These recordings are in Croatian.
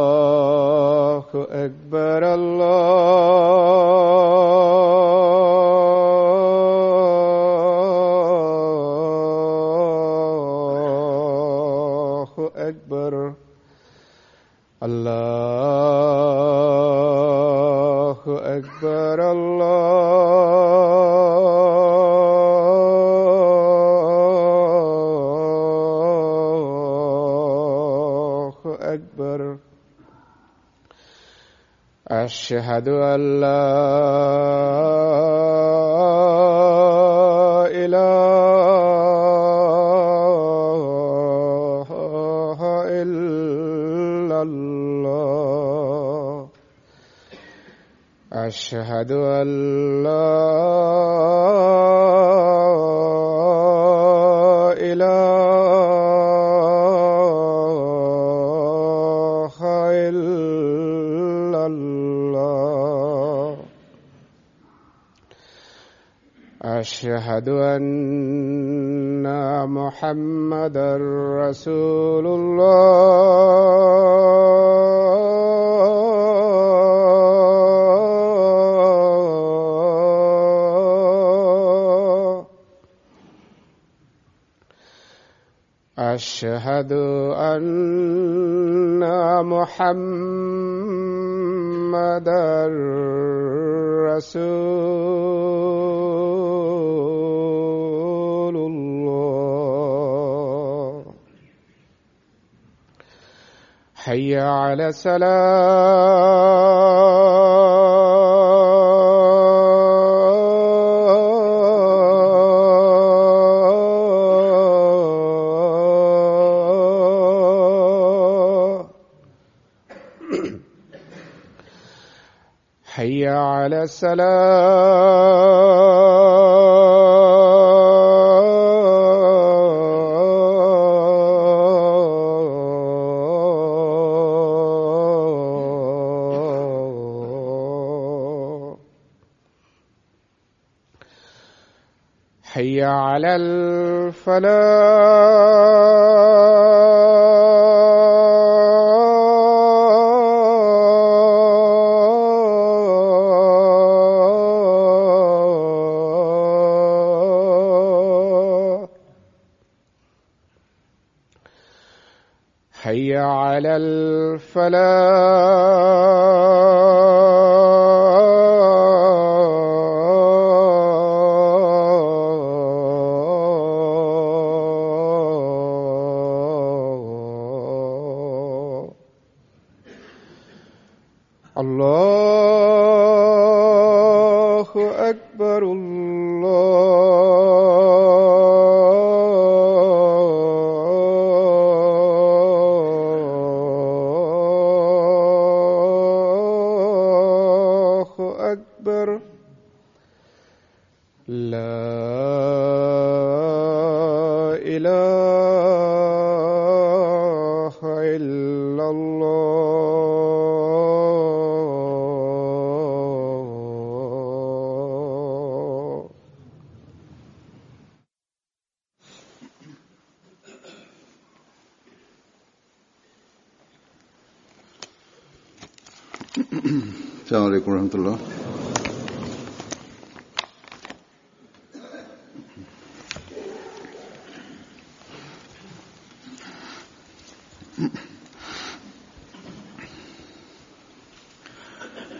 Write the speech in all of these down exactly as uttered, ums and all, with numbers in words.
الله أكبر الله أكبر الله أكبر الله أكبر أشهد أن لا إله إلا الله أشهد أن لا إله إلا الله أشهد أن محمدا رسول الله أشهد أن محمدا رسول الله حي على الصلاة حي على الصلاة حي على الفلاح حي على الفلاح الله أكبر الله أكبر لا إله إلا الله السلام عليكم ورحمة الله.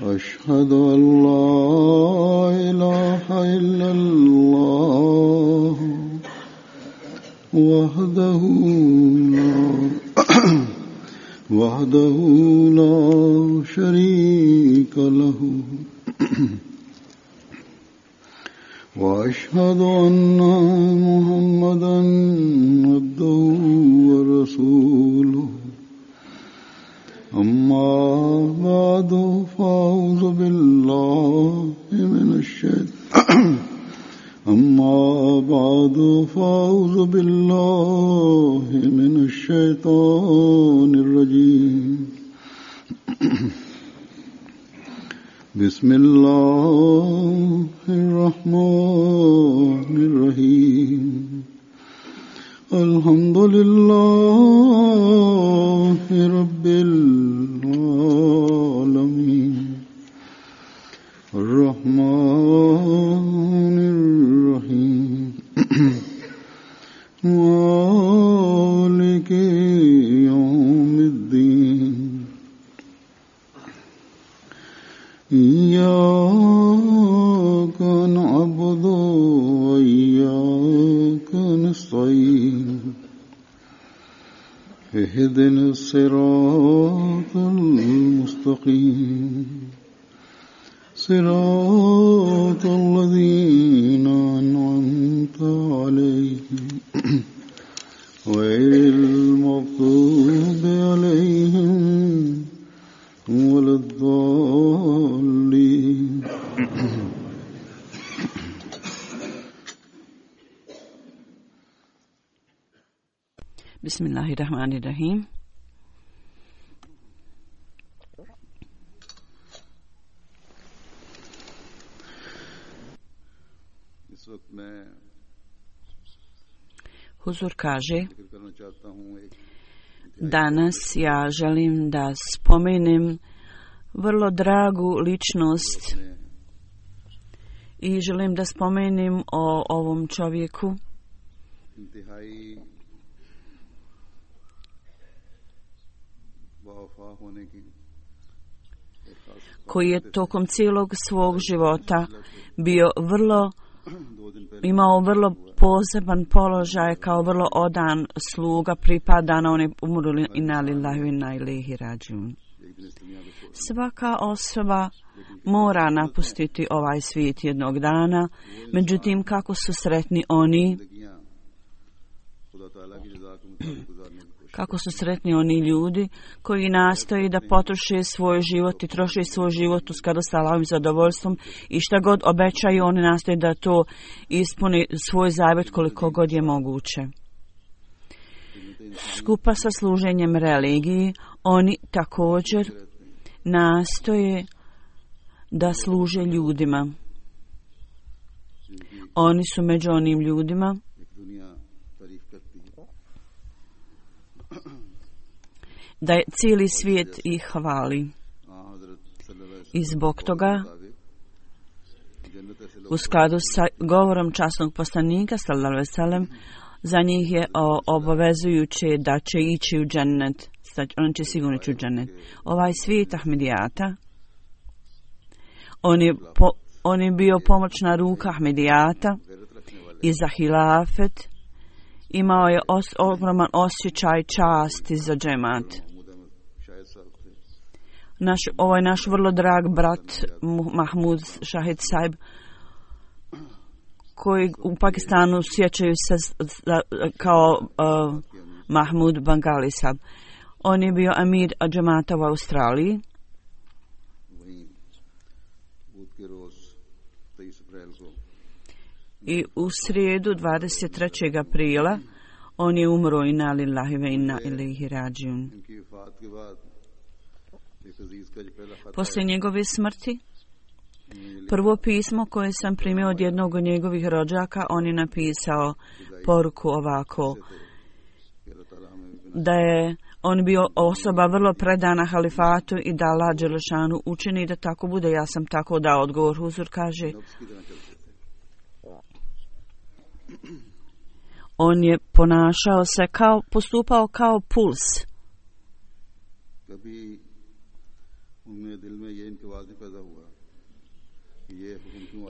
أشهد أن لا إله إلا الله وحده لا وحده لا شريك له وأشهد أن محمدا عبده ورسوله أما بعد فأعوذ بالله من الشيطان أما بعد فأعوذ بالله من الشيطان الرجيم بسم الله الرحمن الرحيم الحمد لله رب العالمين الرحمن الرحيم مالك يوم الدين إياك نعبد وإياك نستعين اهدنا الصراط المستقيم صراط الذين أنعمت عليهم غير المغضوب عليهم ولا الضالين. Bismillahirrahmanirrahim. Huzur kaže, danas ja želim da spomenem vrlo dragu ličnost i želim da spomenem o ovom čovjeku koji je tokom cijelog svog života bio vrlo, imao vrlo poseban položaj kao vrlo odan sluga, pripada na one umrli inna lillahi wa inna ilaihi rađiun. Svaka osoba mora napustiti ovaj svijet jednog dana, međutim kako su sretni oni Kako su sretni oni ljudi koji nastoji da potroše svoj život i troše svoj život u skladu sa Allahovim zadovoljstvom i šta god obećaju, oni nastoje da to ispuni svoj zavjet koliko god je moguće. Skupa sa služenjem religiji, oni također nastoje da služe ljudima. Oni su među onim ljudima da je cijeli svijet ih hvali. I zbog toga, u skladu sa govorom časnog poslanika, sallallahu alejhi ve sellem, za njih je o, obavezujuće da će ići u džennet. On će sigurno ići u džennet. Ovaj svijet Ahmedijata, on je, po, on je bio pomoćna ruka Ahmedijata i za hilafet imao je os, ogroman osjećaj časti za džemat. Naš, ovo je naš vrlo drag brat Mahmud Shahid Saib, koji u Pakistanu sjećaju se kao uh, Mahmud Bangali Saib. On je bio amir džemata u Australiji. I u srijedu dvadeset trećeg aprila on je umro, inna lillahi wa inna ilaihi rađiun. Poslije njegove smrti, prvo pismo koje sam primio od jednog od njegovih rođaka, on je napisao poruku ovako, da je on bio osoba vrlo predana halifatu i da Allah dželešanu učini da tako bude. Ja sam tako dao odgovor. Huzur kaže, on je ponašao se kao, postupao kao puls.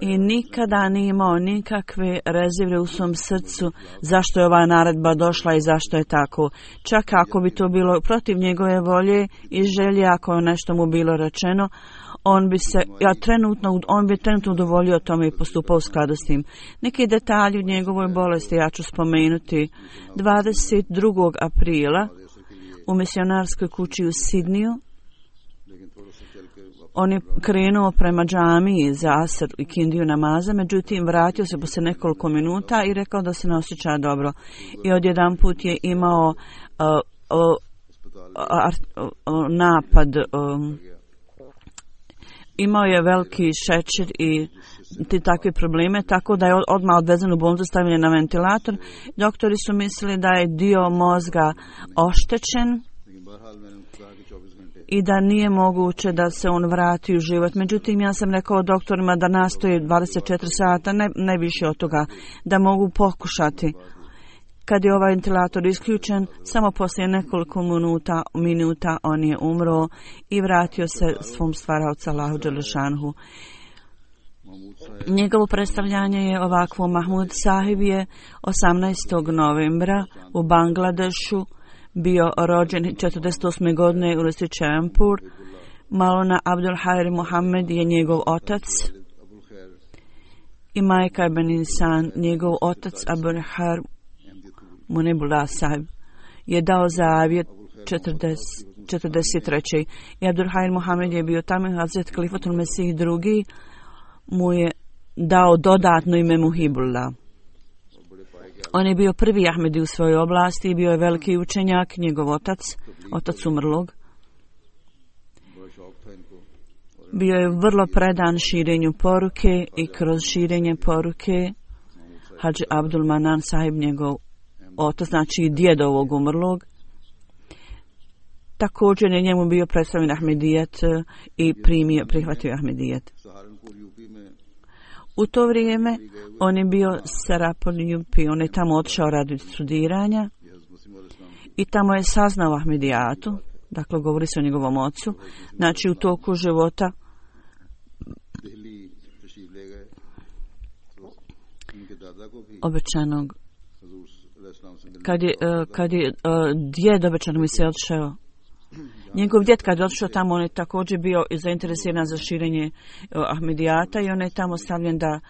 I nikada nije imao nikakve rezerve u svom srcu zašto je ova naredba došla i zašto je tako. Čak ako bi to bilo protiv njegove volje i želje, ako je nešto mu bilo rečeno, on bi se, ja trenutno, on bi trenutno udovoljio tome i postupao u skladu s tim. Neki detalji u njegovoj bolesti ja ću spomenuti. dvadeset drugog aprila u misionarskoj kući u Sidniju on je krenuo prema džamiji za asr i kindiju namaza, međutim vratio se poslije nekoliko minuta i rekao da se ne osjeća dobro. I odjedanput je imao uh, uh, uh, uh, napad um, imao je veliki šećer i ti takve probleme, tako da je odmah odvezen u bolnicu, stavljen na ventilator. Doktori su mislili da je dio mozga oštećen i da nije moguće da se on vrati u život. Međutim, ja sam rekao doktorima da nastoje dvadeset četiri sata, ne, ne više od toga, da mogu pokušati. Kad je ovaj ventilator isključen, samo poslije nekoliko minuta, minuta on je umro i vratio se svom stvaraocu Allahu Đelešanhu. Njegovo predstavljanje je ovakvo. Mahmud Sahib je osamnaestog novembra u Bangladešu bio rođen četrdeset osme godine u Resi Čempur. Maulana Abdul Khair Muhammed je njegov otac i majka je Ben Insan. Njegov otac Abdul Khair Munibullah Sahib je dao zavjet četrdeset treće. I Abdul Khair Muhammed je bio tamo. Hazret Kalifatul Mesih drugi mu je dao dodatno ime Muhibullah. On je bio prvi Ahmedi u svojoj oblasti i bio je veliki učenjak. Njegov otac, otac umrlog, bio je vrlo predan širenju poruke i kroz širenje poruke Hadži Abdul Manan Sahib, njegov otac, znači djed ovog umrlog, također je njemu bio predstavljen Ahmedijet i primio, prihvatio Ahmedijet. U to vrijeme on je bio Sarapol Jupi, on je tamo otišao radi studiranja i tamo je saznao Ahmedijatu, dakle govori se o njegovom ocu, znači u toku života obećanog, kad je, kad je djed obećanog mi se odšao, njegov djed kad je otišao tamo, on je također bio zainteresiran za širenje Ahmedijata i on je tamo stavljen da,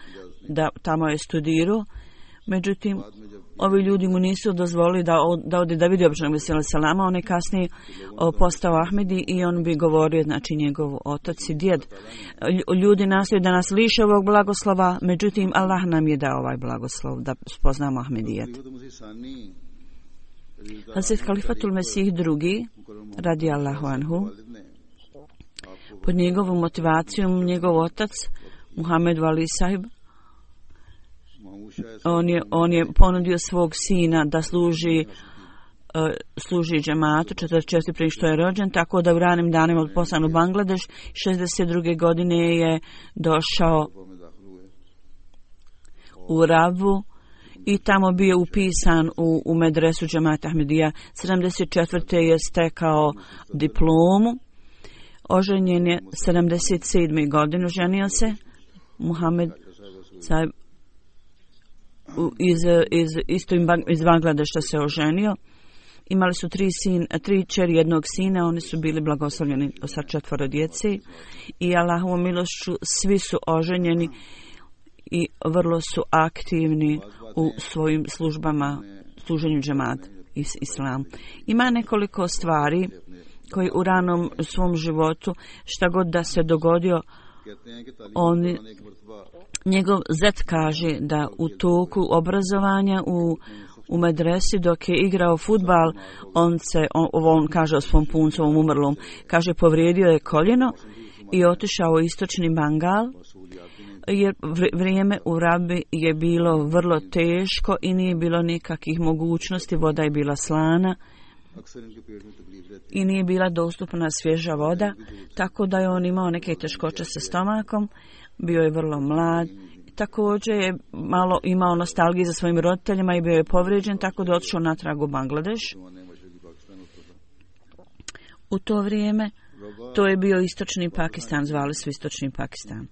da tamo je studirao. Međutim, ovi ljudi mu nisu dozvolili da, da ode da vidi običnog Mesija salama. On je kasnije postao Ahmedi i on bi govorio, znači njegov otac i djed. Ljudi nastoje da nas liše ovog blagoslova, međutim Allah nam je dao ovaj blagoslov da spoznamo Ahmedijet. Hazret Kalifatul Mesih drugi, radi Allahu anhu, pod njegovom motivacijom njegov otac Muhammed Wali Sahib, on je, on je ponudio svog sina da služi uh, služi džematu četrdeset četvrte prije što je rođen, tako da u ranim danima od poslan u Bangladeš. šezdeset druge godine je došao u Rabu i tamo bio upisan u, u medresu džemata Ahmedija. sedamdeset četvrte je stekao diplomu. Oženjen je sedamdeset sedme godine, ženio se Muhammed Sahib iz, iz, isto iz Bangladeša se oženio. Imali su tri, sin, tri čeri jednog sina, oni su bili blagoslovljeni sa četvoro djece i Allahovom milošću svi su oženjeni i vrlo su aktivni u svojim službama, služenju džemat i islam. Ima nekoliko stvari koji u ranom svom životu, šta god da se dogodio, on, njegov zet kaže da u toku obrazovanja u, u medresi dok je igrao fudbal, on se, on, on kaže o svom puncovom umrlom, kaže povrijedio je koljeno i otišao u istočni Bengal, jer vrijeme u Rabi je bilo vrlo teško i nije bilo nikakvih mogućnosti, voda je bila slana i nije bila dostupna svježa voda, tako da je on imao neke teškoće sa stomakom, bio je vrlo mlad, također je malo imao nostalgije za svojim roditeljima i bio je povrijeđen, tako da otišao natrag u Bangladeš. U to vrijeme to je bio istočni Pakistan, zvali su istočni Pakistan.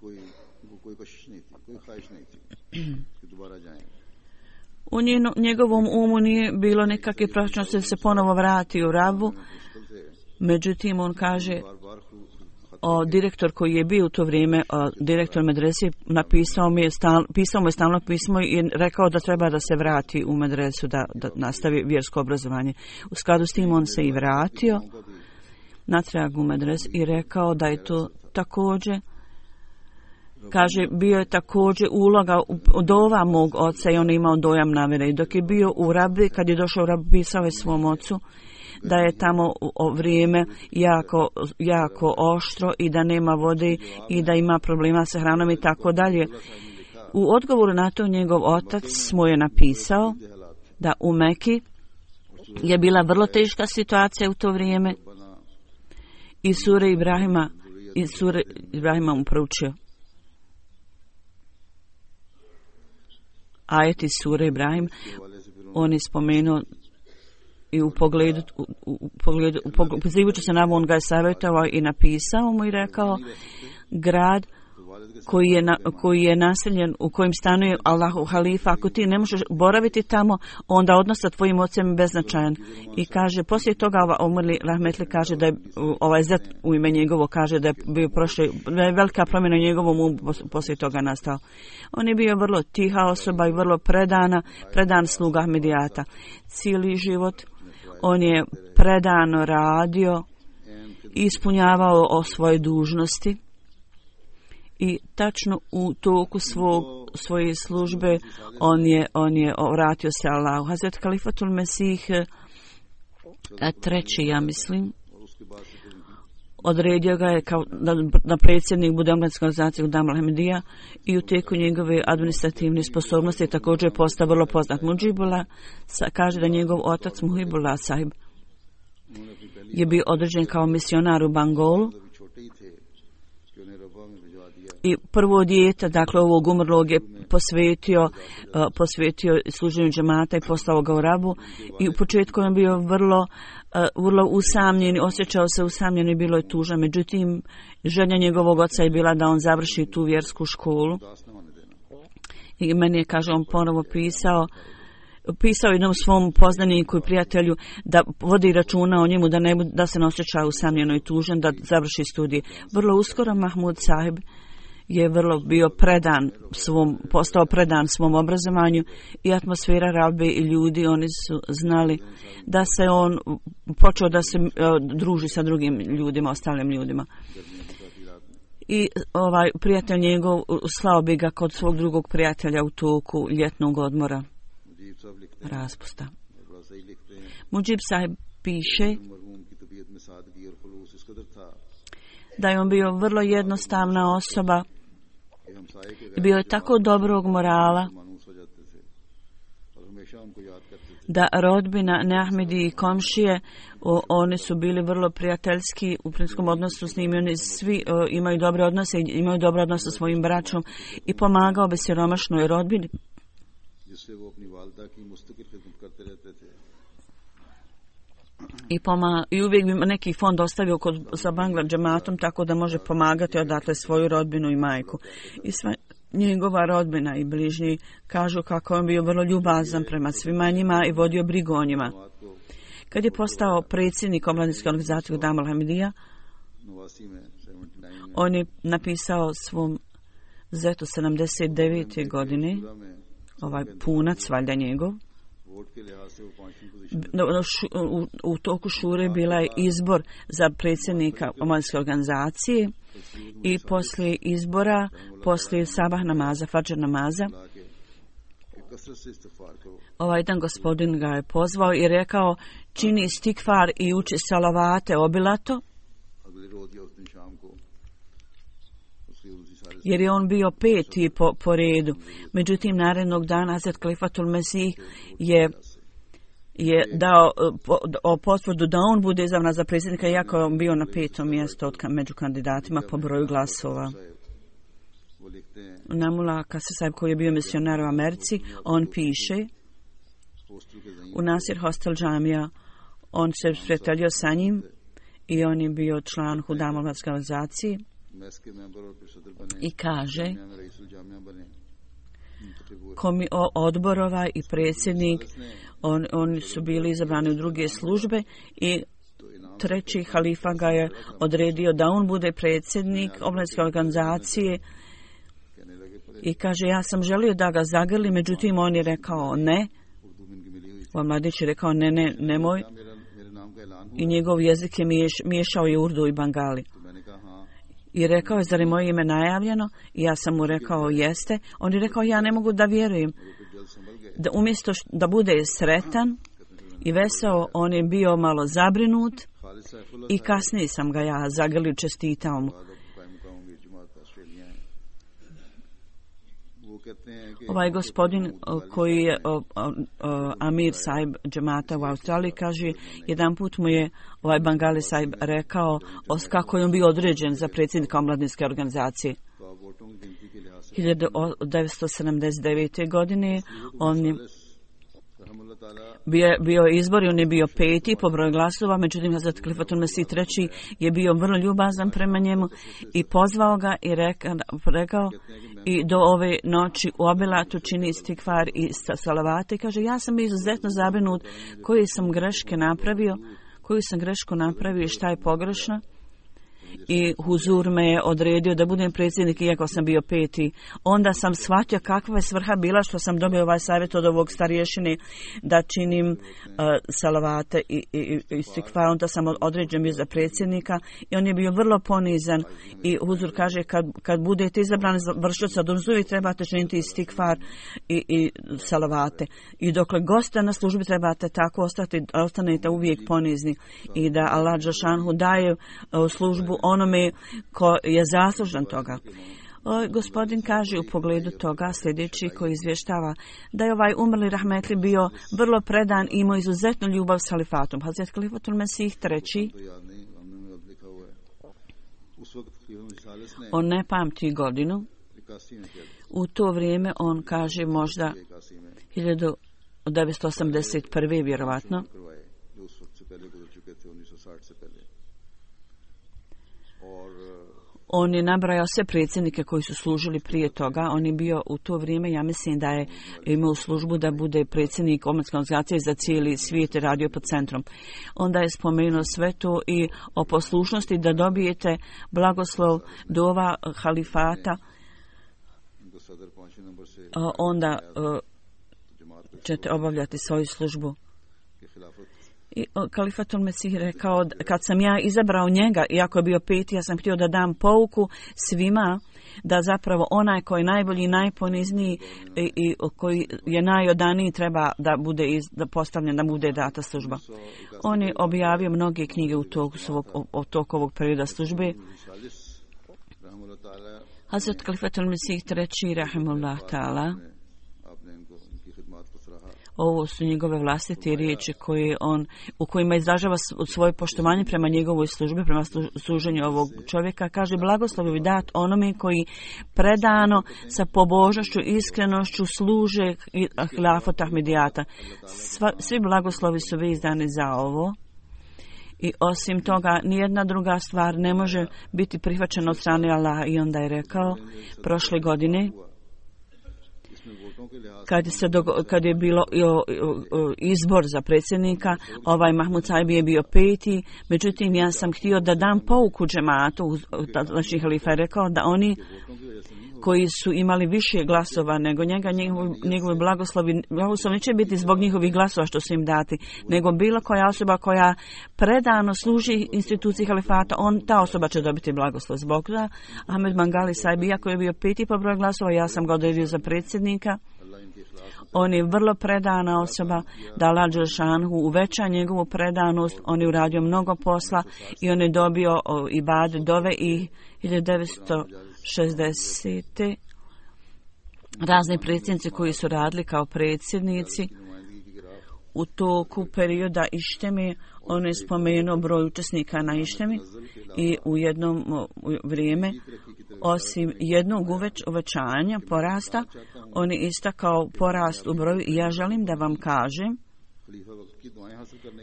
U njenu, njegovom umu nije bilo nekakve prošlosti da se ponovo vrati u Rabu. Međutim, on kaže, o, direktor koji je bio u to vrijeme, o, direktor medrese, napisao mi je stal, pisao mu je stalno pismo i rekao da treba da se vrati u medresu, da, da nastavi vjersko obrazovanje. U skladu s tim on se i vratio natrag u medresu i rekao da je to također, kaže, bio je također uloga od ova mog oca i on je imao dojam namjere. I dok je bio u Rabi, kad je došao u Rabi, pisao je svom ocu da je tamo vrijeme jako, jako oštro i da nema vode i da ima problema sa hranom i tako dalje. U odgovoru na to njegov otac mu je napisao da u Meki je bila vrlo teška situacija u to vrijeme i sure Ibrahima, i sure Ibrahima mu proučio. Ajeti sure Ibrahim, on je spomenuo i u pogledu, u, u pogledu, u pogledu, pozivajući se na on ga je savjetovao i napisao mu i rekao, grad koji je, na, koji je naseljen, u kojem stanuje Allahu halifa, ako ti ne možeš boraviti tamo, onda odnos sa tvojim ocem je beznačajan. I kaže, poslije toga umrli rahmetli kaže da je, ovaj zet u ime njegovo kaže da je bio prošli, da je velika promjena u njegovom umu poslije toga nastao. On je bio vrlo tiha osoba i vrlo predana, predan sluga Ahmedijata. Cijeli život on je predano radio i ispunjavao o svoje dužnosti. I tačno u toku svog, svoje službe on je, on je vratio se Allahu. Hazret Kalifatul Mesih treći, ja mislim, odredio ga je kao da, da predsjednik bude omladinske organizacije Hudam al-Ahmedija i u tijeku njegove administrativne sposobnosti također je postao vrlo poznat. Mujibullah kaže da njegov otac Muhibullah sahib je bio određen kao misionar u Bangolu i prvo dijete, dakle ovog umrlog je posvetio, uh, posvetio služenju džemata i poslao ga u Rabu i u početku je bio vrlo, uh, vrlo usamljen, osjećao se usamljen i bilo je tužan. Međutim, želja njegovog oca je bila da on završi tu vjersku školu. I meni je, kaže, on ponovo pisao, pisao jednom svom poznaniku i prijatelju da vodi računa o njemu, da, ne, da se ne osjeća usamljeno i tužan, da završi studije. Vrlo uskoro Mahmud sahib je vrlo bio predan svom, postao predan svom obrazovanju i atmosfera Rabbe i ljudi, oni su znali da se on počeo da se uh, druži sa drugim ljudima, ostalim ljudima. I ovaj prijatelj njegov slao bi ga kod svog drugog prijatelja u toku ljetnog odmora, raspusta. Mujib sahib piše da je on bio vrlo jednostavna osoba i bio je tako dobrog morala da rodbina, Neahmedi i komšije, o, oni su bili vrlo prijateljski u prinskom odnosu s njim. Oni svi o, imaju dobre odnose, imaju dobre odnose sa svojim braćom i pomagao bi siromašnoj rodbini. I, poma, I uvijek bi neki fond ostavio kod, sa Bangla džematom tako da može pomagati odatle svoju rodbinu i majku. I sva njegova rodbina i bližnji kažu kako on bio vrlo ljubazan prema svima njima i vodio brigu o njima. Kad je postao predsjednik omladinske organizacije Hudam al-Ahmedija, on je napisao svom zetu sedamdeset devete godine, ovaj punac, valjda njegov, U, u toku šure bila je izbor za predsjednika omladinske organizacije i poslije izbora, poslije sabah namaza, fadžr namaza, ovaj jedan gospodin ga je pozvao i rekao čini istikfar i uči salavate obilato, jer je on bio peti po, po redu. Međutim, narednog dana Hazret Kalifatul Mesih je je dao o potvrdu da on bude izabran za predsjednika, iako je on bio na petom mjestu od među kandidatima po broju glasova. Namula Kasir sahib, koji je bio misionar u Americi, on piše u Nasir Hostel džamija, on se prijateljio sa njim i on je bio član Hudam omladinske organizacije i kaže komi odborova i predsjednik, on, oni su bili izabrani u druge službe i treći halifa ga je odredio da on bude predsjednik omladinske organizacije i kaže ja sam želio da ga zagrli, međutim on je rekao ne. Ovaj mladić je rekao ne, ne, nemoj. I njegov jezik je miješ, miješao i urdu i bangali. I rekao je, zar je moje ime najavljeno? I ja sam mu rekao, jeste. On je rekao, ja ne mogu da vjerujem. Da umjesto š, da bude sretan i veseo. On je bio malo zabrinut i kasnije sam ga ja zagrlio, čestitao mu. Ovaj gospodin koji je o, o, o, Amir Saib džemata u Australiji kaže, jedan put mu je ovaj Bangali Saib rekao os, kako je on bio određen za predsjednika omladinske organizacije. hiljadu devetsto sedamdeset devete. godine on je bio, bio izbor i on je bio peti po broju glasova, međutim Hazrat Khalifatul Mesih treći je bio vrlo ljubazan prema njemu i pozvao ga i reka, rekao i do ove noći u obilatu čini istikvar i salavate i kaže, ja sam bio izuzetno zabrinut koje sam greške napravio, koju sam grešku napravio i šta je pogrešno. I huzur me je odredio da budem predsjednik iako sam bio peti. Onda sam shvatio kakva je svrha bila što sam dobio ovaj savjet od ovog starješine da činim uh, salavate i, i, i istikvar. Onda sam određen bio za predsjednika i on je bio vrlo ponizan i huzur kaže kad, kad budete izabrani za vršioca dužnosti trebate činiti istikvar i, i salavate. I dokle goste na službi trebate tako ostati, ostanete uvijek ponizni i da Allah dželešanu daje uh, službu onome ko je zaslužan toga. O, gospodin kaže u pogledu toga sljedeći koji izvještava da je ovaj umrli rahmetli bio vrlo predan i imao izuzetnu ljubav s halifatom. Hazrat Khalifatul Mesih treći, on ne pamti godinu, u to vrijeme on kaže možda hiljadu devetsto osamdeset prve vjerovatno. On je nabrajao sve predsjednike koji su služili prije toga. On je bio u to vrijeme, ja mislim da je imao službu da bude predsjednik omladinske organizacije za cijeli svijet i radio pod centrom. Onda je spomenuo sve to i o poslušnosti da dobijete blagoslov dova halifata. Onda ćete obavljati svoju službu. I Khalifatul Mesih rekao, kad sam ja izabrao njega, iako je bio peti, ja sam htio da dam pouku svima, da zapravo onaj koji je najbolji i najponizniji i, i koji je najodaniji treba da bude iz, da postavljen, da bude data služba. On je objavio mnoge knjige u toku svog, o toku ovog perioda službe. Hazrat Khalifatul Mesih treći, rahimullah ta'ala, ovo su njegove vlastite riječi koje on, u kojima izražava svoje poštovanje prema njegovoj službi, prema služenju ovog čovjeka. Kaže, blagoslovi dat onome koji predano sa pobožnošću i iskrenošću služe hilafat Ahmedijata. Sva, svi blagoslovi su izdani za ovo. I osim toga, nijedna druga stvar ne može biti prihvaćena od strane Allaha. I onda je rekao, prošle godine, Kad, se dogo, kad je bilo o, o, o, izbor za predsjednika, ovaj Mahmud Saib je bio peti, međutim ja sam htio da dam pouku džematu, znači halifa je rekao da oni koji su imali više glasova nego njega, njegovi, njegovi blagoslovi, blagoslovi neće biti zbog njihovih glasova što su im dati, nego bilo koja osoba koja predano služi instituciji halifata, on, ta osoba će dobiti blagoslov. Zbog toga Ahmed Bangali Saib, iako je bio peti po broju glasova, ja sam ga odredio za predsjednika. On je vrlo predana osoba, da Allah dželešanu uveća njegovu predanost, on je uradio mnogo posla i on je dobio o, ibad dove i hiljadu devetsto šezdesete razne predsjednici koji su radili kao predsjednici u toku perioda Ištemi. On je spomenuo broj učesnika na Ištemi i u jednom vrijeme, osim jednog uveć, uvećanja, porasta, on je istakao porast u broju i ja želim da vam kažem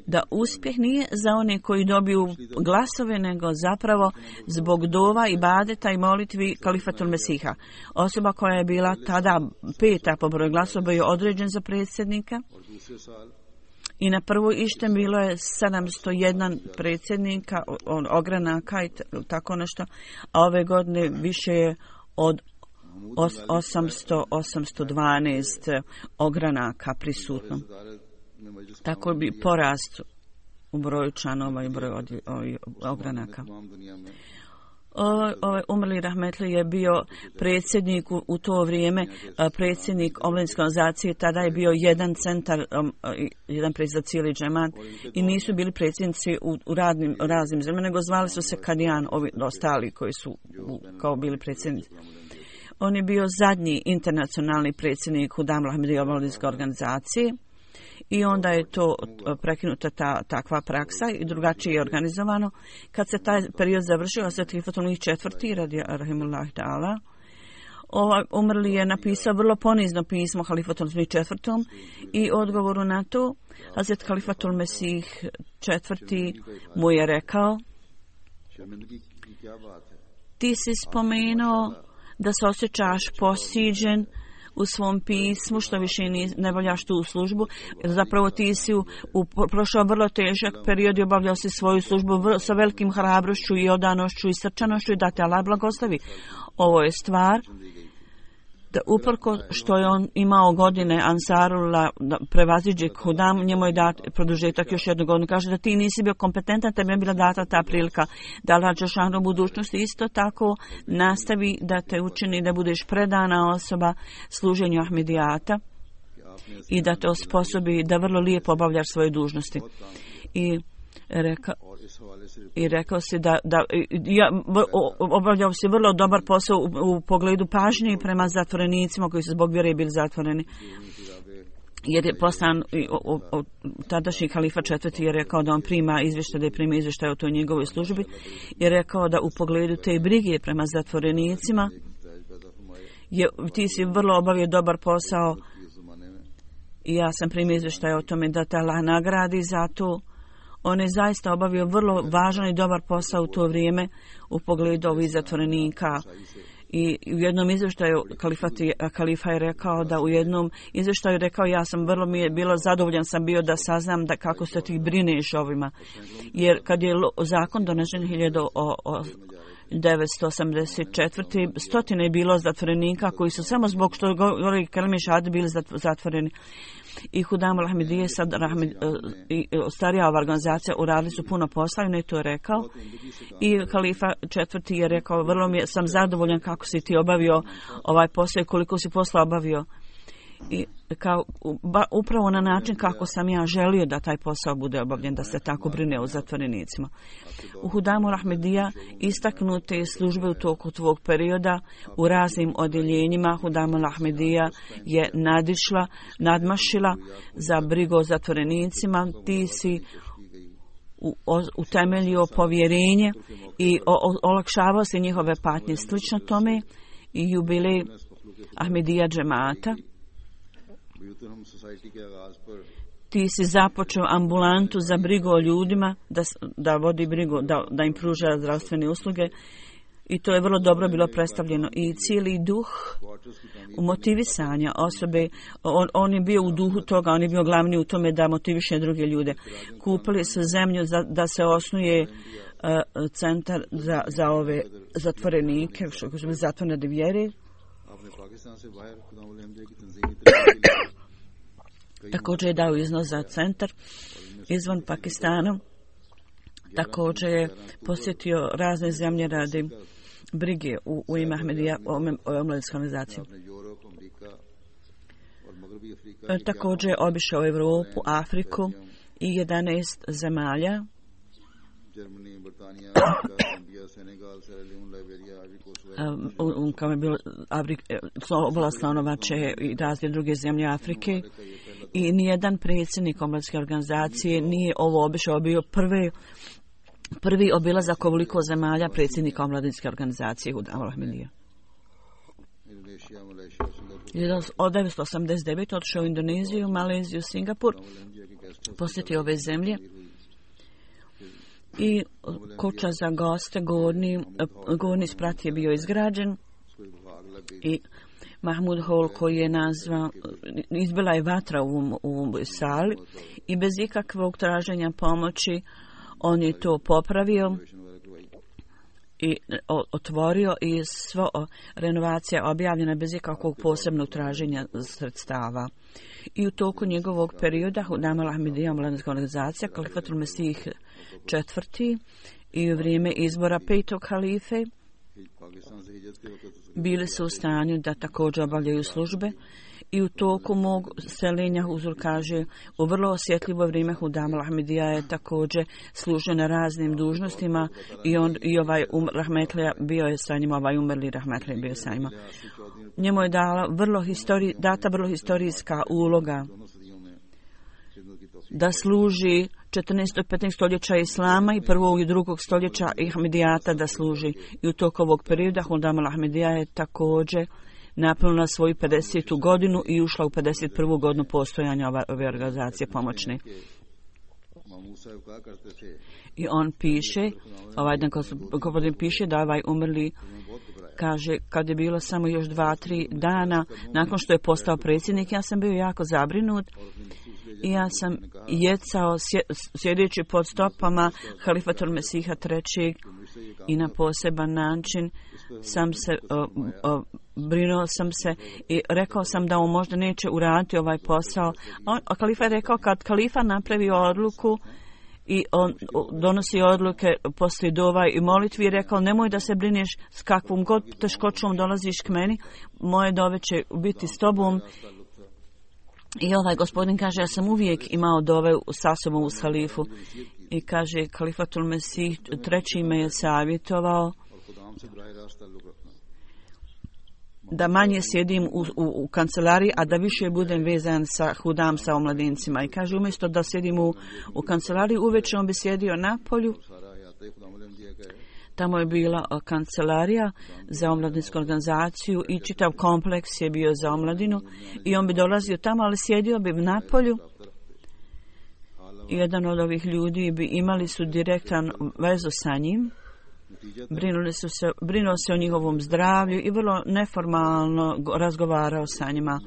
da uspjeh nije za one koji dobiju glasove, nego zapravo zbog dova, ibadeta i molitvi Khalifatul Mesiha. Osoba koja je bila tada peta po broju glasova je određen za predsjednika. I na prvoj Ištem bilo je sedamsto jedan predsjednika, on, ogranaka i tako nešto, a ove godine više je od osamsto, osamsto dvanaest ogranaka prisutno. Tako bi porast u broju članova i broju ogranaka. Ovaj, ovaj umrli rahmetli je bio predsjednik u, u to vrijeme, predsjednik omladinske organizacije, tada je bio jedan centar, um, jedan predsjednik za cijeli džemat i nisu bili predsjednici u, u radnim, raznim zemljama, nego zvali su se Kadijan, ovi ostali koji su u, kao bili predsjednici. On je bio zadnji internacionalni predsjednik Hudam al-Ahmadija omladinske organizacije. I onda je to prekinuta ta takva praksa i drugačije je organizovano. Kad se taj period završio, Hazret Halifatul četvrti radi rahimullah ta'ala, ovaj umrli je napisao vrlo ponizno pismo Halifatul četvrtom i odgovoru na to Hazret Halifatul Mesih četvrti mu je rekao: ti si spomenuo da se osjećaš posiđen u svom pismu, što više ne voljaš tu službu, jer zapravo ti si u, u prošao vrlo težak period i obavljao si svoju službu vrlo, sa velikim hrabrošću i odanošću i srčanošću i da te Allah blagoslovi. Ovo je stvar da uprko što je on imao godine Ansarullah da prevaziđe Hudam, njemu je dat produžetak još jednu godinu. Kaže da ti nisi bio kompetentan, tebi je bila data ta prilika da Allah dželešanu u budućnosti isto tako nastavi da te učini da budeš predana osoba služenju Ahmedijata i da te osposobi da vrlo lijepo obavljaš svoje dužnosti. I rekao I rekao si da, da ja, obavljao si vrlo dobar posao u, u pogledu pažnje prema zatvorenicima koji su zbog vjere bili zatvoreni. Jer je poslan o, o, o, tadašnji halifa četvrti je rekao da on prima izvještaj, da je prima izvještaj o toj njegovoj službi. Je rekao da u pogledu te brige prema zatvorenicima je, ti si vrlo obavio dobar posao i ja sam primio izvještaj o tome da te Allah nagradi za to. On je zaista obavio vrlo važan i dobar posao u to vrijeme u pogledu ovih zatvorenika. I u jednom izvještaju kalifa je rekao da u jednom izvještaju rekao ja sam vrlo mi je bilo zadovoljan sam bio da saznam da kako se ti brineš ovima. Jer kad je zakon donesen hiljadu devetsto osamdeset četvrte. stotine je bilo zatvorenika koji su samo zbog što govori kelime šahade bili zatvoreni. I Hudam al-Ahmadija sad rahmed, i starija ova organizacija uradili su puno posla i on je to rekao. I halifa četvrti je rekao vrlo mi je, sam zadovoljan kako si ti obavio ovaj posao i koliko si posla obavio. I kao, ba, upravo na način kako sam ja želio da taj posao bude obavljen, da se tako brine o zatvorenicima. U Hudamu al-Ahmadija istaknute službe u toku tvog perioda u raznim odjeljenjima Hudamu al-Ahmadija je nadišla, nadmašila za brigu o zatvorenicima. Ti si u, o, utemeljio povjerenje i o, o, olakšavao se njihove patnje. Slično tome i jubilej Ahmadija džemata. Ti si započeo ambulantu za brigu o ljudima, da, da vodi brigu, da, da im pruža zdravstvene usluge i to je vrlo dobro bilo predstavljeno. I cijeli duh u motivisanja osobe, on, on je bio u duhu toga, on je bio glavni u tome da motiviše druge ljude. Kupili su zemlju za, da se osnuje uh, centar za, za ove zatvorenike, što su bili zatvorene vjere. Također je dao iznos za centar izvan Pakistana. Također je posjetio razne zemlje radi brige u, u ime Ahmadija o omladinskoj organizaciji. Također je obišao Evropu, Afriku i jedanaest zemalja. Um, kao je bilo oblast Slanovače i razne druge zemlje Afrike i nijedan predsjednik omladinske organizacije nije ovo obišao, bio prvi prvi obilazak ovoliko zemalja predsjednika omladinske organizacije Hudam al-Ahmadija. Od devetsto osamdeset devete. otišao u Indoneziju, Maleziju, Singapur, posjetio ove zemlje i kuća za goste, gornji, gornji sprat je bio izgrađen i Mahmud Hall koji je nazvao, izbila je vatra u ovom, u ovom sali i bez ikakvog traženja pomoći on je to popravio i otvorio i sva renovacija objavljena bez ikakvog posebnog traženja sredstava. I u toku njegovog perioda Hudam al-Ahmadija omladinska organizacija Halifatul Mesih četvrti i u vrijeme izbora petog halife bili su u stanju da također obavljaju službe i u toku mog seljenja Huzur kaže u vrlo osjetljivo vrijeme Hudam al-Ahmedija je također služio na raznim dužnostima i on i ovaj um, Rahmetlija bio je sa njima, ovaj umrli Rahmetlija bio sa njima. Njemu je dala vrlo histori, data vrlo historijska uloga da služi četrnaestog i petnaestog stoljeća Islama i prvog i drugog stoljeća Ahmedijata da služi. I u toku ovog perioda Hudam al-Ahmedija je također napunila svoju pedesetu godinu i ušla u pedeset prvu godinu postojanja ove, ove organizacije pomoćne. I on piše, ovaj dan gospodin piše da ovaj umrli kaže kad je bilo samo još dva, tri dana nakon što je postao predsjednik, ja sam bio jako zabrinut i ja sam jecao sjedeći pod stopama Halifatul Mesiha trećeg i na poseban način sam se o, o, brinuo sam se i rekao sam da on možda neće uraditi ovaj posao. On, a kalifa je rekao kad kalifa napravi odluku i on donosi odluke poslije dova i molitvi, rekao nemoj da se brineš s kakvom god teškoćom dolaziš k meni, moje dove će biti s tobom. I ovaj gospodin kaže ja sam uvijek imao dove sa sobom uz halifu i kaže Halifatul Mesih treći me je savjetovao da manje sjedim u, u, u kancelariji, a da više budem vezan sa Hudam, sa omladincima. I kaže, umjesto da sjedim u, u kancelariji, uveče on bi sjedio na polju. Tamo je bila kancelarija za omladinsku organizaciju i čitav kompleks je bio za omladinu. I on bi dolazio tamo, ali sjedio bi na polju. I jedan od ovih ljudi bi imali su direktan vezu sa njim. Brinuli su se, brinuo se o njihovom zdravlju i vrlo neformalno razgovarao sa njima.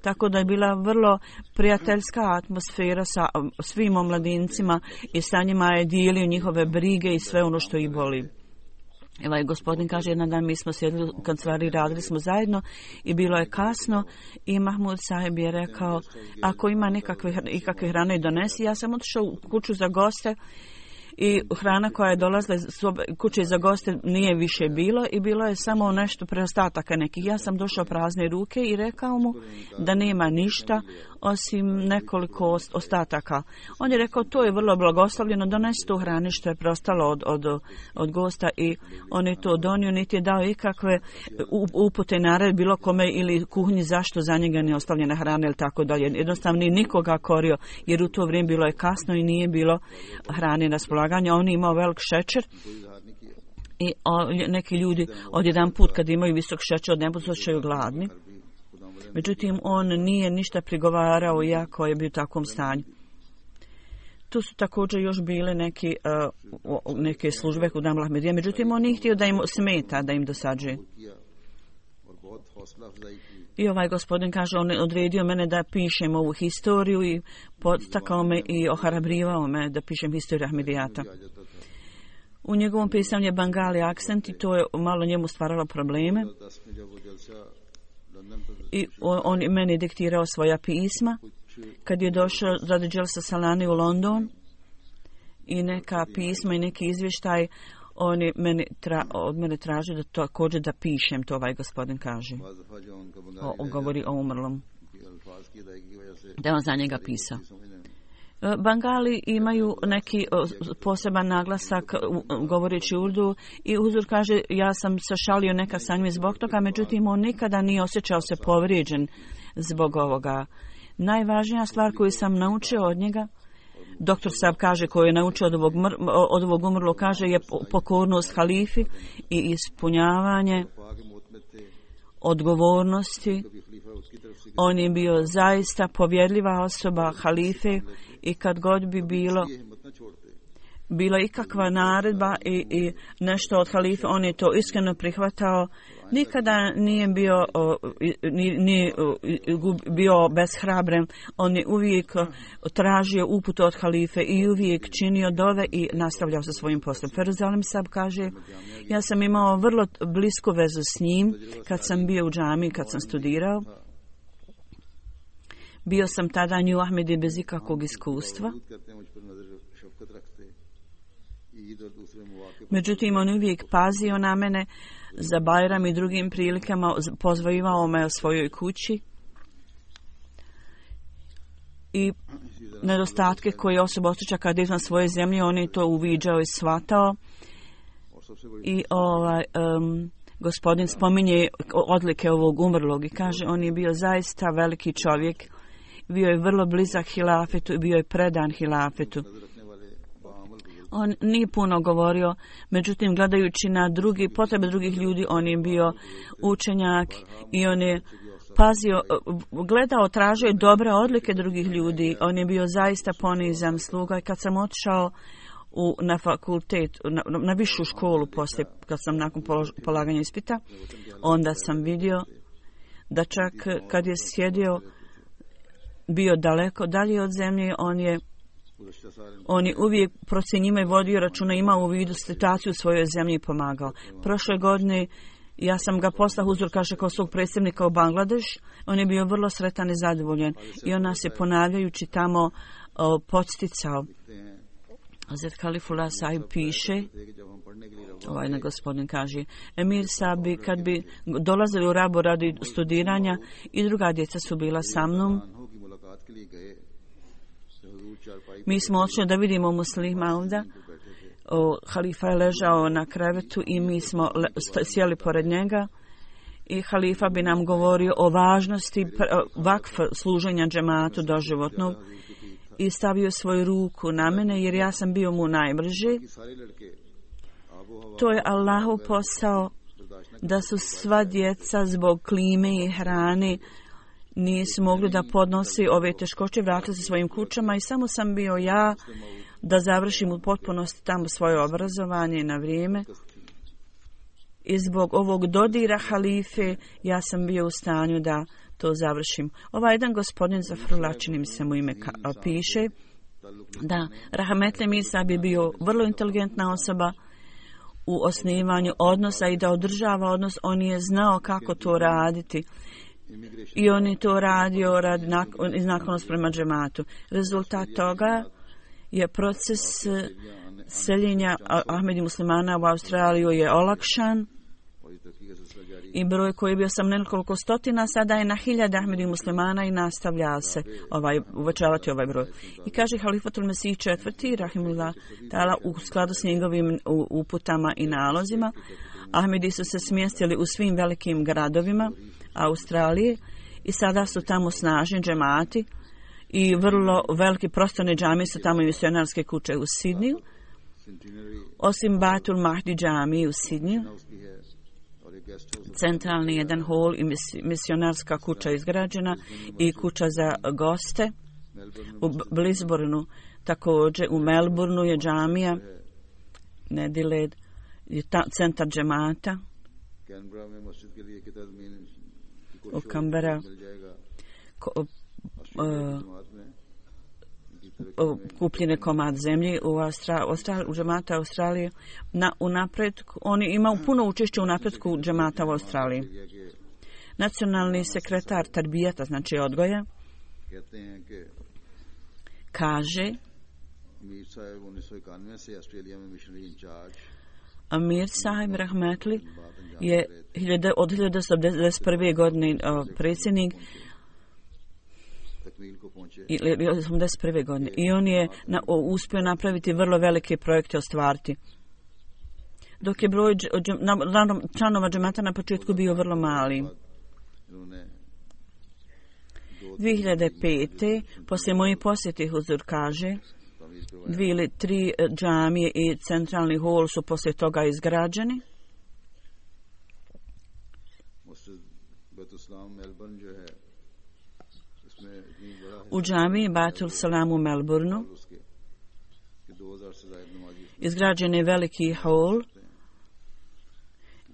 Tako da je bila vrlo prijateljska atmosfera sa svim omladincima i sa njima je dijelio njihove brige i sve ono što ih boli. Ovaj gospodin kaže, jedan dan mi smo sjedili u kancelariji, radili smo zajedno i bilo je kasno i Mahmud sahib je rekao, ako ima nekakve, ikakve hrane donesi. Ja sam otišao u kuću za goste i hrana koja je dolazila iz kuće za goste nije više bilo i bilo je samo nešto preostataka nekih. Ja sam došao prazne ruke i rekao mu da nema ništa osim nekoliko ostataka. On je rekao to je vrlo blagoslovljeno, donesi tu hrane što je preostalo od, od, od gosta i on je to donio, niti je dao ikakve upute nared bilo kome ili kuhinji zašto za njega ne ostavljena hrana ili tako dalje. Jednostavno nije nikoga korio jer u to vrijeme bilo je kasno i nije bilo hrane na spolaganje. On je imao velik šećer i o, neki ljudi odjedan put kad imaju visok šećer ne budu osjećaju gladni. Međutim, on nije ništa prigovarao iako je bio u takvom stanju. Tu su također još bile neke, uh, neke službe Hudam al-Ahmedija, međutim, on nije htio da im smeta, da im dosađuje. I ovaj gospodin kaže, on odredio mene da pišem ovu historiju i podstakao me i ohrabrivao me da pišem historiju Ahmedijata. U njegovom pisanju je Bengali akcent i to je malo njemu stvaralo probleme. I on je meni diktirao svoja pisma. Kad je došao radi Dželsa Salani u London i neka pisma i neki izvještaj, on je meni tra, od mene tražio da također da pišem, to ovaj gospodin kaže. O, o, govori o umrlom. Da je on za njega pisao. Bengali imaju neki poseban naglasak govoreći urdu i Huzur kaže ja sam se šalio neka sa njim zbog toga, međutim on nikada nije osjećao se povrijeđen zbog ovoga. Najvažnija stvar koju sam naučio od njega, doktor Sab kaže koju je naučio od ovog, mr, od ovog umrlo, kaže je pokornost halifi i ispunjavanje odgovornosti. On je bio zaista povjerljiva osoba halife i kad god bi bilo bila ikakva naredba i, i nešto od halife, on je to iskreno prihvatao. Nikada nije bio, nije, nije bio beshrabren. On je uvijek tražio uput od halife i uvijek činio dove i nastavljao sa svojim poslom. Feruzalim Sab kaže, ja sam imao vrlo blisku vezu s njim kad sam bio u džami, kad sam studirao. Bio sam tada New Ahmedi bez ikakvog iskustva. Međutim, on uvijek pazio na mene za Bajram i drugim prilikama pozvao me o svojoj kući i nedostatke koje osoba osjeća kad izvan svoje zemlje, on je to uviđao i shvatao. I ovaj, um, gospodin spominje odlike ovog umrlog i kaže on je bio zaista veliki čovjek, bio je vrlo blizak hilafetu i bio je predan hilafetu. On nije puno govorio, međutim gledajući na drugi, potrebe drugih ljudi, on je bio učenjak i on je pazio, gledao, tražio dobre odlike drugih ljudi. On je bio zaista ponizan sluga i kad sam otišao u, na fakultet, na, na višu školu poslije, kad sam nakon polož, polaganja ispita, onda sam vidio da čak kad je sjedio, bio daleko dalje od zemlje, on je On je uvijek procjenjivao i vodio računa, imao u vidu situaciju u svojoj zemlji i pomagao. Prošle godine ja sam ga poslao uzor, kaže, kao svog predstavnika u Bangladeš. On je bio vrlo sretan i zadovoljen. I on nas je ponavljajući tamo o, podsticao. Hazret Khalifullah Sahib piše, ovaj na gospodin kaže, Emir Sabi, kad bi dolazili u Rabu radi studiranja i druga djeca su bila sa mnom, mi smo odšli da vidimo muslima onda. O, halifa je ležao na krevetu i mi smo le, sjeli pored njega i halifa bi nam govorio o važnosti vakf služenja džematu doživotnog i stavio svoju ruku na mene jer ja sam bio mu najbliži. To je Allahov posao da su sva djeca zbog klime i hrane nisu mogli da podnosi ove teškoće, vratili se svojim kućama i samo sam bio ja da završim u potpunosti tamo svoje obrazovanje na vrijeme. I zbog ovog dodira halife ja sam bio u stanju da to završim. Ovaj jedan gospodin Zafrullah, čini mi se mu ime ka, piše, da Rahmetli Mirsa bi bio vrlo inteligentna osoba u osnivanju odnosa i da održava odnos. On je znao kako to raditi. I on je to radio rad iz naklonost prema džematu. Rezultat toga je proces seljenja Ahmedi muslimana u Australiju je olakšan i broj koji je bio sam nekoliko stotina, sada je na hiljade Ahmedi muslimana i nastavlja se ovaj, uvećavati ovaj broj. I kaže Halifatul Mesih četvrti, rahimullah ta'ala, u skladu s njegovim uputama i nalozima, Ahmedi su se smjestili u svim velikim gradovima Australije i sada su tamo snažni džemati i vrlo veliki prostorne džamije su tamo i misionarske kuće u Sidniju, osim Batul Mahdi džamije u Sidniju. Centralni jedan hol i misionarska kuća izgrađena i kuća za goste. U Blisbornu također, u Melbourneu je džamija, Nediled, je ta, centar džemata. U Canberra kupljene komad zemlje u, Austra, Austra, u džemata Australije. Na, u napretku, oni imaju puno učešće u napretku džemata u Australiji. Nacionalni sekretar Tarbijata, znači odgoja, kaže Amir Sahib Rahmetli je od hiljadu devetsto devedeset prve. godine predsjednik ili osamdeset prve. godine i on je na, o, uspio napraviti vrlo velike projekte ostvariti. Dok je broj članova džemata na početku bio vrlo mali. dvije hiljade pete. poslije moje posjete huzur kaže, dvije ili tri džamije i centralni hol su poslije toga izgrađeni. U džamiji Batul Salam u Melbourneu izgrađen je veliki hol.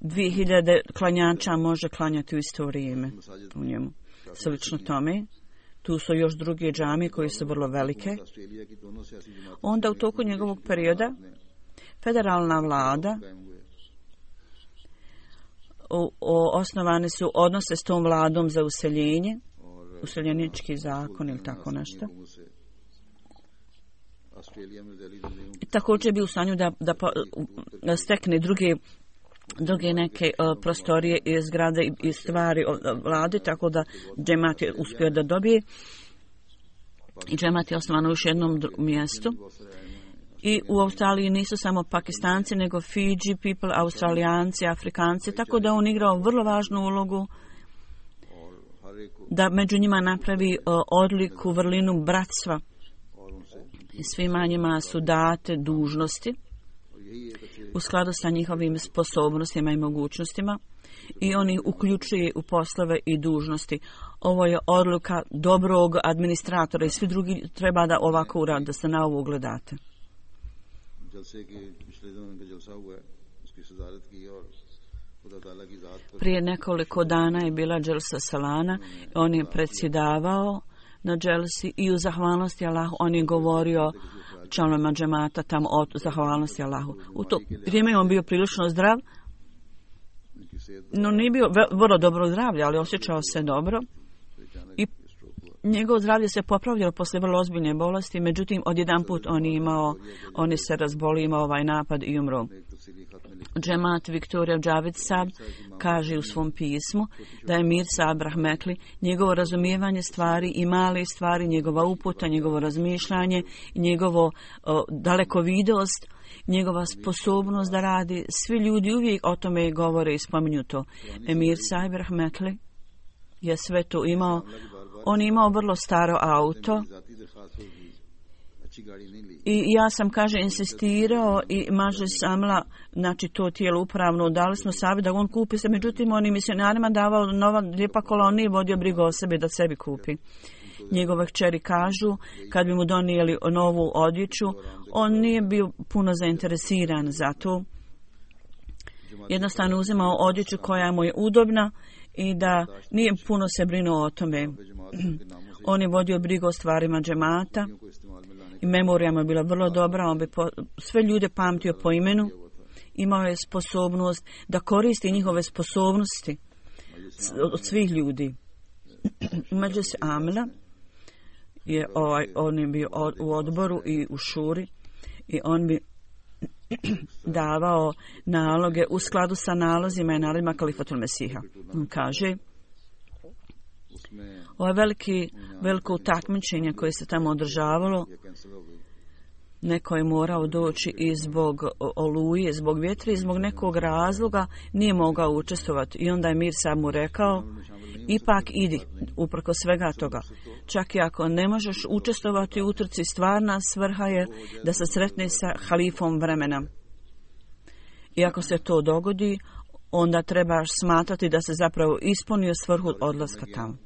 dvije hiljade klanjača može klanjati u isto vrijeme u njemu. Slično tome, tu su još druge džamije koje su vrlo velike. Onda u toku njegovog perioda federalna vlada o, o, osnovane su odnose s tom vladom za useljenje, useljenički zakon ili tako nešto. I također bi u stanju da, da, da stekne druge druge neke uh, prostorije i zgrade i, i stvari uh, vlade, tako da džemat je uspio da dobije. I džemat je osnovan u još jednom mjestu. I u Australiji nisu samo Pakistanci, nego Fiji people, Australijanci, Afrikanci, tako da on igrao vrlo važnu ulogu da među njima napravi uh, odliku, vrlinu bratstva. I svima njima su date dužnosti u skladu sa njihovim sposobnostima i mogućnostima i oni uključuje u poslove i dužnosti. Ovo je odluka dobrog administratora i svi drugi treba da ovako urade, da se na ovo ugledate. Prije nekoliko dana je bila dželsa Salana, on je predsjedavao na dželsi i u zahvalnosti Allahu on je govorio članovima džemata tamo o zahvalnosti Allahu. U to vrijeme on bio prilično zdrav, no nije bio vrlo dobro zdravlje, ali osjećao se dobro i njegovo zdravlje se popravljalo posle vrlo ozbiljne bolesti, međutim odjedanput on je imao, on je se razbolio, imao ovaj napad i umro. Džemat Viktorija Džavid Sab kaže u svom pismu da je Mir Sab Rahmetli, njegovo razumijevanje stvari i male stvari, njegova uputa, njegovo razmišljanje, njegovo o, dalekovidost, njegova sposobnost da radi, svi ljudi uvijek o tome govore i spominju to. Emir Sahib Rahmetli je sve to imao. On je imao vrlo staro auto i ja sam, kaže, insistirao i maže samla, znači to tijelo upravno, dali smo savjet da on kupi se, međutim on je misionarima davao nova lijepa kola, on nije vodio brigu o sebi da sebi kupi. Njegove kćeri kažu, kad bi mu donijeli novu odjeću, on nije bio puno zainteresiran za to. Jednostavno uzimao odjeću koja mu je udobna i da nije puno se brinuo o tome. On je vodio brigu o stvarima džemata i memorija mu je bila vrlo dobra, on bi po, sve ljude pamtio po imenu, imao je sposobnost da koristi njihove sposobnosti od svih ljudi. Među se Amila je ovaj, on je bio od, u odboru i u šuri i on bi davao naloge u skladu sa nalozima i nalozima Kalifatul Mesiha. On kaže, ovo veliki, veliko takmičenje koje se tamo održavalo, neko je morao doći i zbog oluje, zbog vjetra i zbog nekog razloga nije mogao učestvovati. I onda je Mir Sab mu rekao, ipak idi, uprko svega toga. Čak i ako ne možeš učestvovati u utrci, stvarna svrha je da se sretne sa halifom vremena. I ako se to dogodi, onda trebaš smatrati da se zapravo ispunio svrhu odlaska tamo.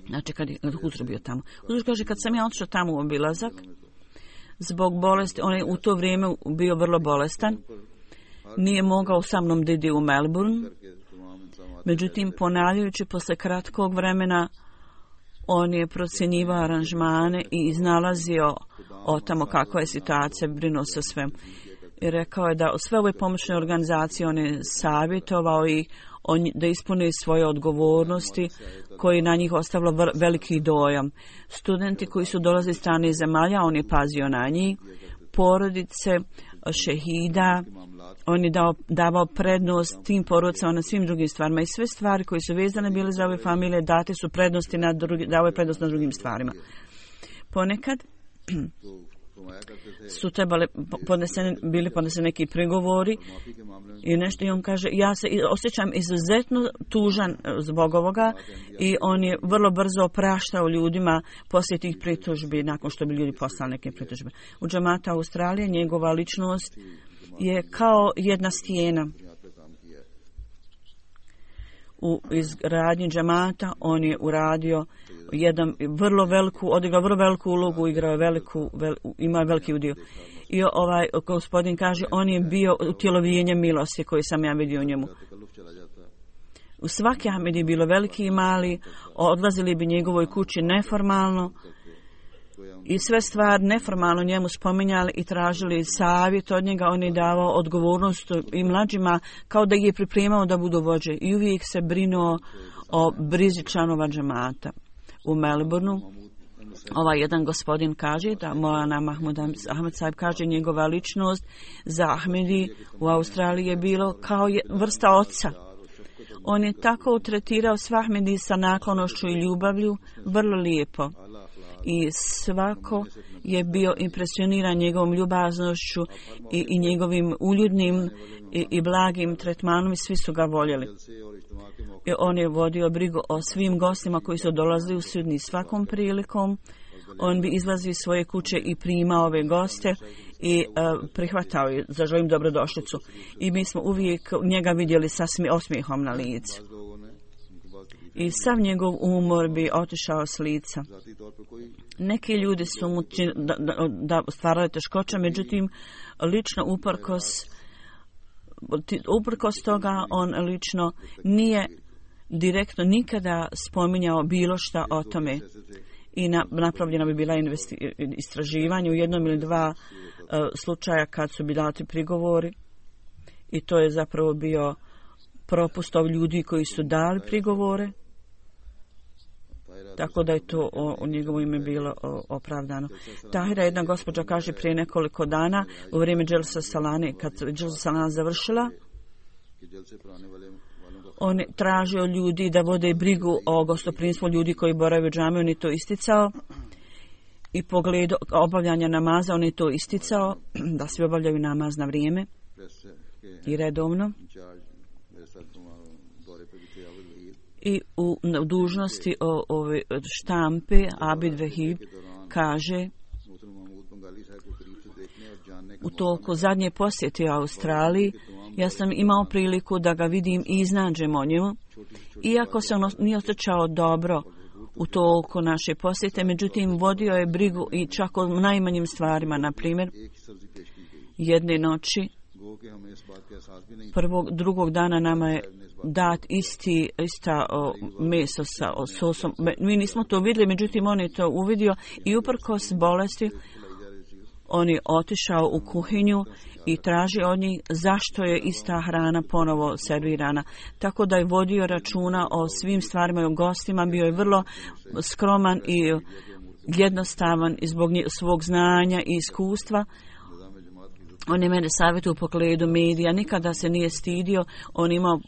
Znači kad je Huzur bio tamo. Huzur kaže, kad sam ja otišao tamo u obilazak, zbog bolesti, on je u to vrijeme bio vrlo bolestan, nije mogao sa mnom da ide u Melbourne, međutim ponavljajući posle kratkog vremena, on je procjenjivao aranžmane i iznalazio o tamo kakva je situacija, brinuo se svem. I rekao je da sve ove pomoćne organizacije on je savjetovao i on, da ispune svoje odgovornosti koji na njih ostavilo veliki dojam. Studenti koji su dolazili iz strane zemalja, on je pazio na njih, porodice, šehida, on je dao, davao prednost tim porodicama na svim drugim stvarima i sve stvari koje su vezane bile za ove familije date su prednosti na drugi, dao je prednost na drugim stvarima. Ponekad su trebali podneseni, bili podneseni neki pregovori i nešto i on kaže, ja se osjećam izuzetno tužan zbog ovoga i on je vrlo brzo opraštao ljudima poslije tih pritužbi nakon što bi ljudi poslali neke pritužbe. U džemata Australije njegova ličnost je kao jedna stijena. U izgradnji džemata on je uradio jedan vrlo veliku, odigrao vrlo veliku ulogu, igrao veliku, vel, ima veliki udio. I ovaj gospodin kaže, on je bio utjelovljenje milosti koji sam ja vidio u njemu. U svaki Ahmed je bilo veliki i mali, odlazili bi njegovoj kući neformalno i sve stvari neformalno njemu spominjali i tražili savjet od njega. On je davao odgovornost i mlađima kao da ih je pripremao da budu vođe i uvijek se brinuo o brizi članova džemata. U Melbourneu Ovaj jedan gospodin kaže da Molana Mahmud Ahmed Sahib kaže njegova ličnost za Ahmedi u Australiji je bilo kao je vrsta oca. On je tako tretirao sve Ahmedi sa naklonošću i ljubavlju, vrlo lijepo. I svako je bio impresioniran njegovom ljubaznošću i, i njegovim uljudnim i, i blagim tretmanom i svi su ga voljeli. I on je vodio brigu o svim gostima koji su dolazili u Sidni svakom prilikom. On bi izlazio iz svoje kuće i primao ove goste i uh, prihvatao je, zaželio im dobrodošlicu. I mi smo uvijek njega vidjeli sa smije, osmijehom na licu. I sav njegov umor bi otišao s lica. Neki ljudi su mu da, da, da stvarali teškoće, međutim, lično uprkos, uprkos toga on lično nije direktno nikada spominjao bilo šta o tome. I na, napravljena bi bila investi, istraživanje u jednom ili dva uh, slučaja kad su bi dati prigovori. I to je zapravo bio propust ovih ljudi koji su dali prigovore. Tako da je to o, o njegovo ime bilo o, opravdano. Tahira, jedna gospođa, kaže prije nekoliko dana u vrijeme Dželsa Salane, kad Dželsa Salana završila, on je tražio ljudi da vode brigu o gostoprimstvu ljudi koji borave u džami, on je to isticao. I pogledu obavljanja namaza, on je to isticao, da svi obavljaju namaz na vrijeme i redovno. I u, u dužnosti o, ove štampe Abid Vehib kaže u toku zadnje posjete u Australiji ja sam imao priliku da ga vidim i iznađem o njemu, iako se on nije osjećao dobro u toku naše posjete, međutim vodio je brigu i čak o najmanjim stvarima. Na primjer, jedne noći prvog, drugog dana nama je dat isti, ista o, meso sa o, sosom. Mi nismo to vidjeli, međutim on je to uvidio i uprkos bolesti on je otišao u kuhinju i traži od njih zašto je ista hrana ponovo servirana. Tako da je vodio računa o svim stvarima i o gostima, bio je vrlo skroman i jednostavan i zbog svog znanja i iskustva. On je mene savjetio u pogledu medija, nikada se nije stidio, on imao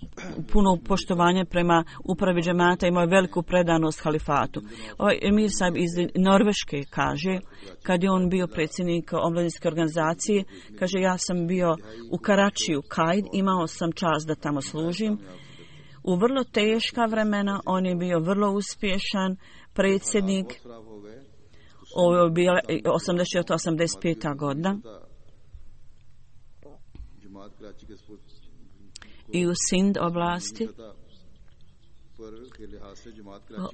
puno poštovanja prema upravi džemata, imao je veliku predanost halifatu. Ovaj Emir Sahib iz Norveške kaže, kad je on bio predsjednik omladinske organizacije, kaže ja sam bio u Karačiju, Kajd, imao sam čast da tamo služim. U vrlo teška vremena on je bio vrlo uspješan predsjednik, ovo je bila osamdeset četvrta osamdeset peta godina. I u Sind oblasti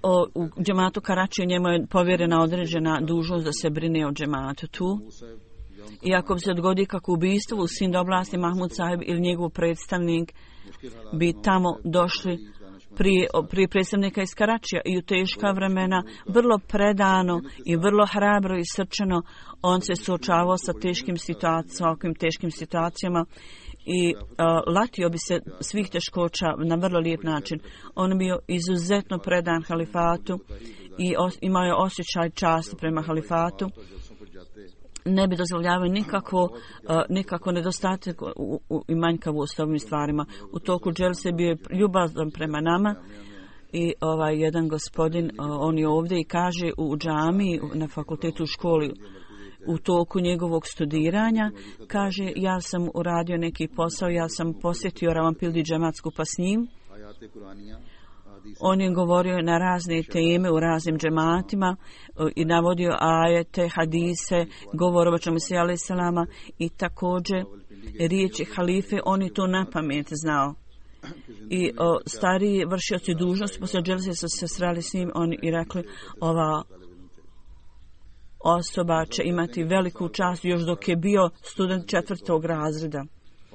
o, u džematu Karačiju njemu je povjerena određena dužnost da se brine o džematu tu. I ako bi se odgodi kako ubijstvo u Sind oblasti, Mahmud Sahib ili njegov predstavnik bi tamo došli prije, prije predstavnika iz Karačija i u teška vremena vrlo predano i vrlo hrabro i srčano on se suočavao sa teškim situacijama, ovakvim teškim situacijama i uh, latio bi se svih teškoća na vrlo lijep način. On je bio izuzetno predan halifatu i os, imao je osjećaj časti prema halifatu. Ne bi dozvoljavao nikako, uh, nikako nedostatak u, u, i manjkavost ovim stvarima. U toku dželse bio je ljubazan prema nama i ovaj jedan gospodin, uh, on je ovdje i kaže u džami, na fakultetu, u školi, u toku njegovog studiranja, kaže ja sam uradio neki posao, ja sam posjetio Rawalpindi džemat skupa s njim. On je govorio na razne teme u raznim džematima i navodio ajete, hadise, govor o Muhammedu alejhi selama i također riječi halife, on je to na pamet znao. I o, stariji vršioci dužnosti poslije dželse su se sreli s njim, oni i rekli ova osoba će imati veliku čast još dok je bio student četvrtog razreda.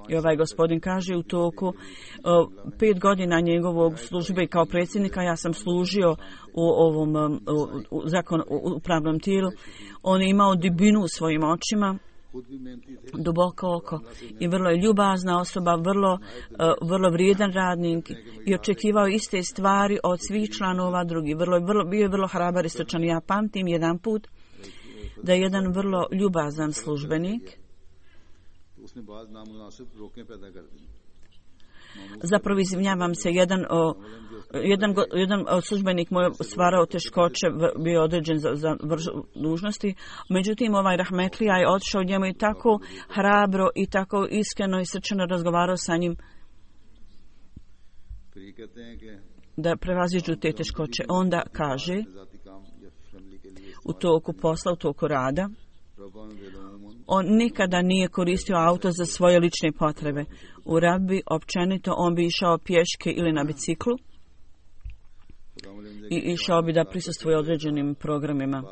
I ovaj gospodin kaže u toku uh, pet godina njegovog službe kao predsjednika ja sam služio u ovom um, u, u, zakon, u upravnom tijelu. On je imao dibinu u svojim očima duboko oko i vrlo je ljubazna osoba, vrlo, uh, vrlo vrijedan radnik i očekivao iste stvari od svih članova drugih. Vrlo, vrlo, bio je vrlo hrabar i srčan. Ja pamtim jedan put da je jedan vrlo ljubazan službenik, zapravo izvinjavam se, jedan, o, jedan, jedan službenik moj stvarao teškoće, bio određen za, za vrš, dužnosti, međutim ovaj rahmetlija je otišao njemu i tako hrabro i tako iskreno i srčano razgovarao sa njim da prevaziđu te teškoće. Onda kaže, u toku posla, u toku rada, on nikada nije koristio auto za svoje lične potrebe. U Rabbi općenito on bi išao pješke ili na biciklu i išao bi da prisustvuje određenim programima.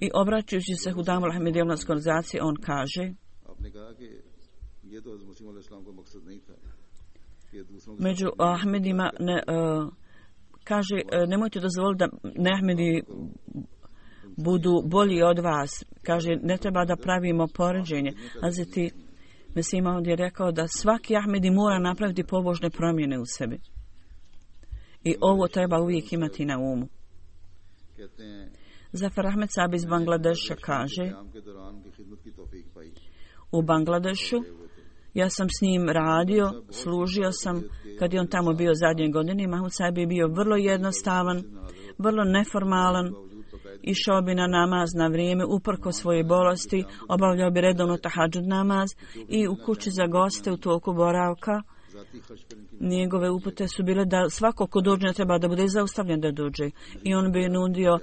I obraćajući se Hudamul Ahmedijevlanskoj organizaciji, on kaže, među Ahmedima ne, uh, kaže, uh, nemojte dozvoliti da ne Ahmedi budu bolji od vas. Kaže, ne treba da pravimo poređenje. Hazreti Mesih Maud je rekao da svaki Ahmedi mora napraviti pobožne promjene u sebi. I ovo treba uvijek imati na umu. Zafar Ahmed Saab iz Bangladeša kaže, u Bangladešu ja sam s njim radio, služio sam kad je on tamo bio zadnje godine. Mahmud Saab je bio vrlo jednostavan, vrlo neformalan, išao bi na namaz na vrijeme, uprko svoje bolesti, obavljao bi redovno tahadžud namaz i u kući za goste u toku boravka. Njegove upute su bile da svako ko dođe treba da bude zaustavljen da dođe. I on bi nudio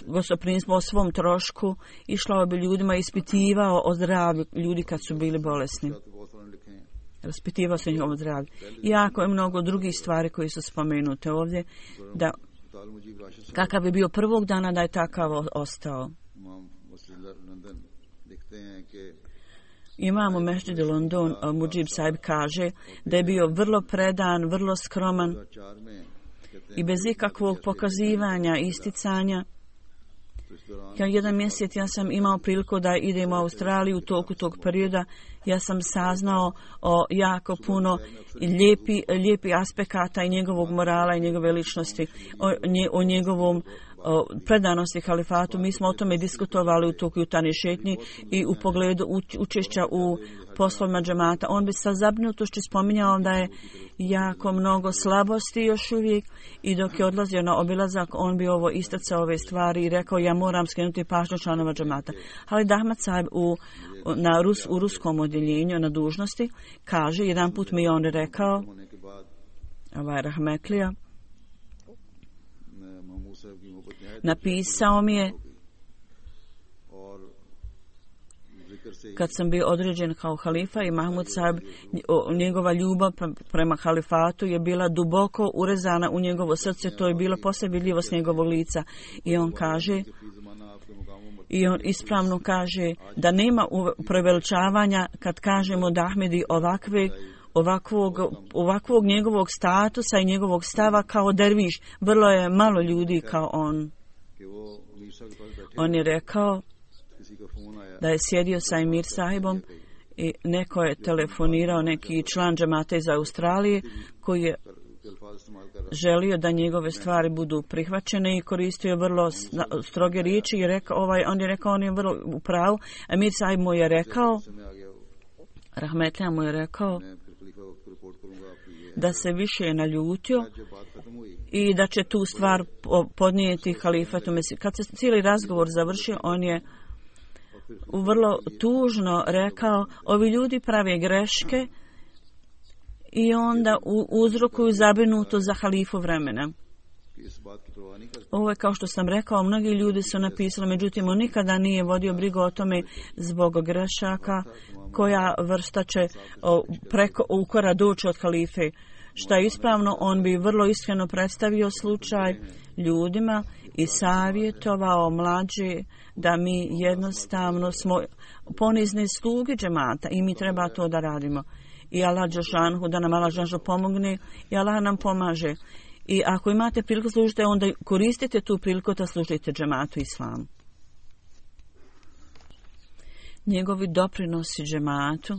gostoprimstvo o svom trošku, išao bi ljudima, ispitivao o zdravlju ljudi kad su bili bolesni. Raspitivao se njihovo zdravlje. I jako je mnogo drugih stvari koje su spomenute ovdje, da kakav bi bio prvog dana da je takav ostao. Imamo Mešđid London, Mujib Saib kaže da je bio vrlo predan, vrlo skroman i bez ikakvog pokazivanja, isticanja. Kao jedan mjesec ja sam imao priliku da idem u Australiju u toku tog perioda. Ja sam saznao o jako puno lijepi, lijepi aspekata i njegovog morala i njegove ličnosti, o, nje, o njegovom o, predanosti halifatu. Mi smo o tome diskutovali u toku jutarnje šetnje i u pogledu učešća u poslovima džemata. On bi sa zabrinutošću spominjao da je jako mnogo slabosti još uvijek i dok je odlazio na obilazak, on bi ovo istacao ove stvari i rekao ja moram skrenuti pažnju članova džemata. Ali Ahmad Saib u, na Rus, u ruskom odjeljenju na dužnosti kaže, jedan put mi je on rekao, ovaj rahmetlija, napisao mi je kad sam bio određen kao halifa i Mahmud Saib, njegova ljubav prema halifatu je bila duboko urezana u njegovo srce, to je bilo posve vidljivo s njegovog lica. I on kaže, i on ispravno kaže da nema preveličavanja kad kažemo da Ahmedi ovakve, ovakvog, ovakvog njegovog statusa i njegovog stava kao derviš. Vrlo je malo ljudi kao on. On je rekao da je sjedio sa Emir sahibom i neko je telefonirao, neki član džemata iz Australije koji je želio da njegove stvari budu prihvaćene i koristio vrlo stroge riječi i rekao, ovaj, on je rekao, on je vrlo u pravu. Emir sahib mu je rekao, rahmetlija mu je rekao da se više naljutio i da će tu stvar podnijeti halifatu Mesih. Kad se cijeli razgovor završio, on je vrlo tužno rekao, ovi ljudi prave greške i onda uzrokuju zabrinuto za halifu vremena. Ovo je kao što sam rekao, mnogi ljudi su napisali, međutim on nikada nije vodio brigu o tome zbog grešaka koja vrsta će preko ukora doći od halife. Šta je ispravno, on bi vrlo iskreno predstavio slučaj ljudima i savjetovao mlađe da mi jednostavno smo ponizni sluge džemata i mi treba to da radimo. I Allah džešanhu, da nam Allah džešanhu pomogne i Allah nam pomaže. I ako imate priliku služiti, onda koristite tu priliku da služite džematu islamu. njegovi doprinosi džematu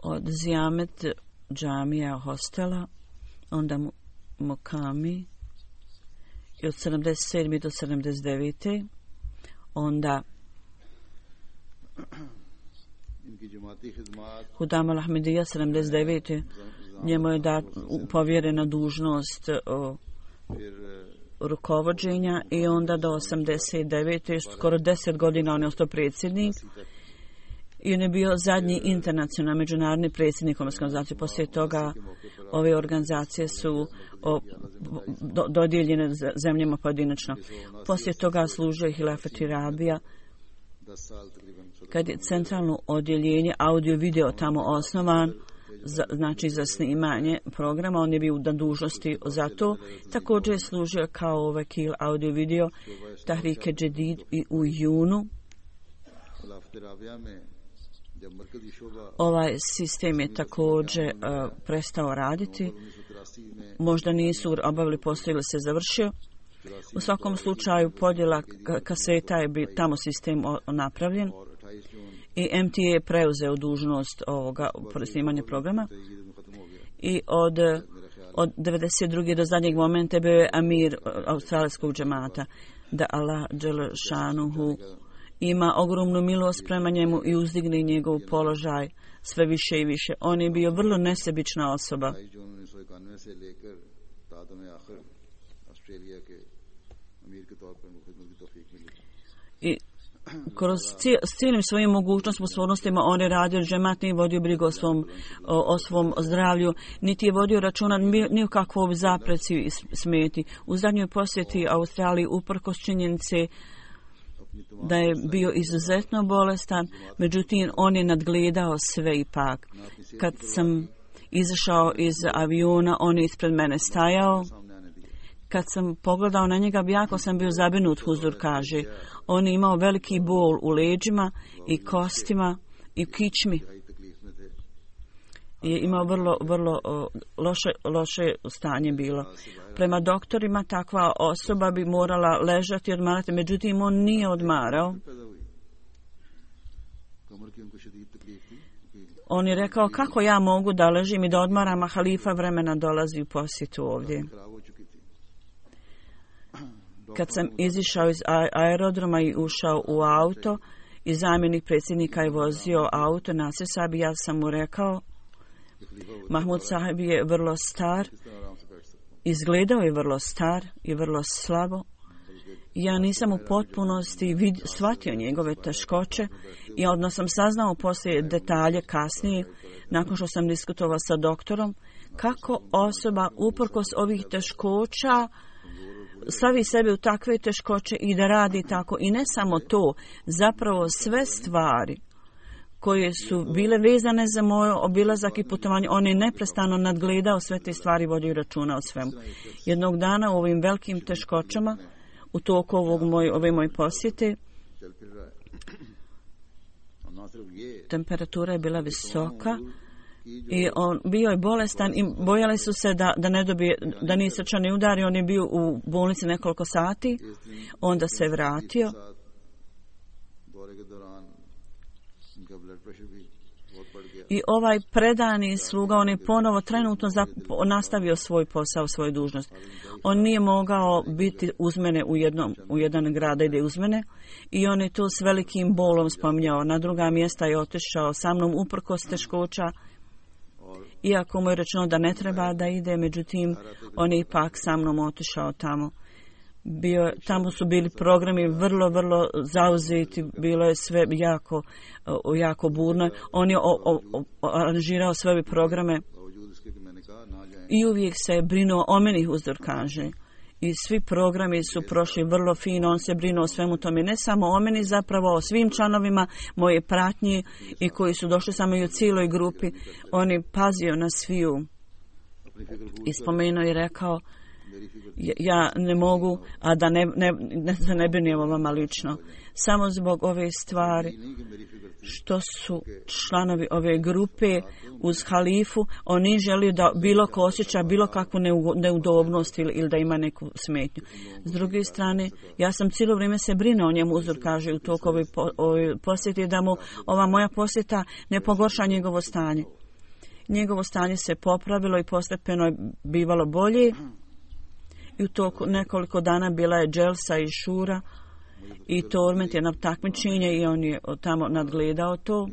od Zijamet džamija hostela, onda mu, Mokami i od sedamdeset sedme do sedamdeset devete onda Hudam al-Ahmedija sedamdeset devete njemu je dat povjerena dužnost o, rukovođenja i onda do osamdeset devete skoro deset godina on je ostao predsjednik i on je bio zadnji internacionalni međunarodni predsjednik organizacije. Poslije toga ove organizacije su o, do, dodijeljene zemljama pojedinačno. Poslije toga služio je Hilafet Rabija kad je centralno odjeljenje audio-video tamo osnovan, za, znači za snimanje programa, on je bio na dužnosti za to. Također je služio kao vekil audio-video Tahrike Džedid i u junu. Ovaj sistem je također uh, prestao raditi. Možda nisu obavili posao ili se završio. U svakom slučaju podjela kaseta je bi, tamo sistem o, napravljen i M T A je preuzeo dužnost ovoga snimanja programa i od, od devedeset druge do zadnjeg momenta bio je amir australijskog džemata, da Allah dželešanuhu ima ogromnu milost prema njemu i uzdigne njegov položaj sve više i više. On je bio vrlo nesebična osoba. I kroz cijel, s cijelim svojim mogućnostima, sposobnostima on je radio džemat, nije vodio brigu o svom, o, o svom zdravlju, niti je vodio računa ni o kakvoj zapreci i smeti. U zadnjoj posjeti Australiji uprkos činjenice da je bio izuzetno bolestan, međutim on je nadgledao sve ipak. Kad sam izašao iz aviona, on je ispred mene stajao. Kad sam pogledao na njega, jako sam bio zabrinut, Huzur kaže. On je imao veliki bol u leđima i kostima i u kičmi. Je imao vrlo, vrlo o, loše, loše stanje bilo. Prema doktorima takva osoba bi morala ležati i odmarati, međutim on nije odmarao. On je rekao, kako ja mogu da ležim i da odmaram, a halifa vremena dolazi u posjetu ovdje. Kad sam izišao iz aerodroma i ušao u auto i zamjenik predsjednika je vozio auto, Nasir Sabi, ja sam mu rekao, Mahmud Sahib je vrlo star, izgledao je vrlo star i vrlo slabo. Ja nisam u potpunosti vid, shvatio njegove teškoće i odmah sam saznao poslije detalje kasnije, nakon što sam diskutovao sa doktorom, kako osoba uprkos ovih teškoća stavi sebe u takve teškoće i da radi tako. I ne samo to, zapravo sve stvari koje su bile vezane za moj obilazak i putovanje, on je neprestano nadgledao sve te stvari, vodio računa o svemu. Jednog dana u ovim velikim teškoćama, u toku ovog moj, ove moje posjete, temperatura je bila visoka i on bio je bolestan i bojali su se da, da ne dobije, da nije srčani udar i on je bio u bolnici nekoliko sati, onda se vratio. I ovaj predani sluga, on je ponovo trenutno zap, nastavio svoj posao, svoju dužnost. On nije mogao biti uz mene u, jednom, u jedan grad, ide uz mene i on je to s velikim bolom spominjao. Na druga mjesta je otišao sa mnom uprkos teškoća, iako mu je rečeno da ne treba da ide, međutim on je ipak sa mnom otišao tamo. Bio, tamo su bili programi vrlo, vrlo zauzeti, bilo je sve jako, jako burno. On je o, o, o, aranžirao sve ove programe i uvijek se je brinuo o meni, Huzur kaže. I svi programi su prošli vrlo fino, on se brinuo o svemu tome, ne samo o meni, zapravo o svim članovima moje pratnje i koji su došli samo i u cijeloj grupi. On je pazio na sviju i spomenuo i rekao ja ne mogu, a da ne, ne, ne, ne, ne brinem o vama lično. Samo zbog ove stvari što su članovi ove grupe uz halifu, oni žele da bilo ko osjeća bilo kakvu neudobnost ili, ili da ima neku smetnju. S druge strane, ja sam cijelo vrijeme se brine o njemu, Uzur kaže u toku ove, ove posjete, da mu ova moja posjeta ne pogorša njegovo stanje. Njegovo stanje se popravilo i postepeno je bivalo bolje. I u toku nekoliko dana bila je dželsa i šura i torment je na takmičenje i on je tamo nadgledao to.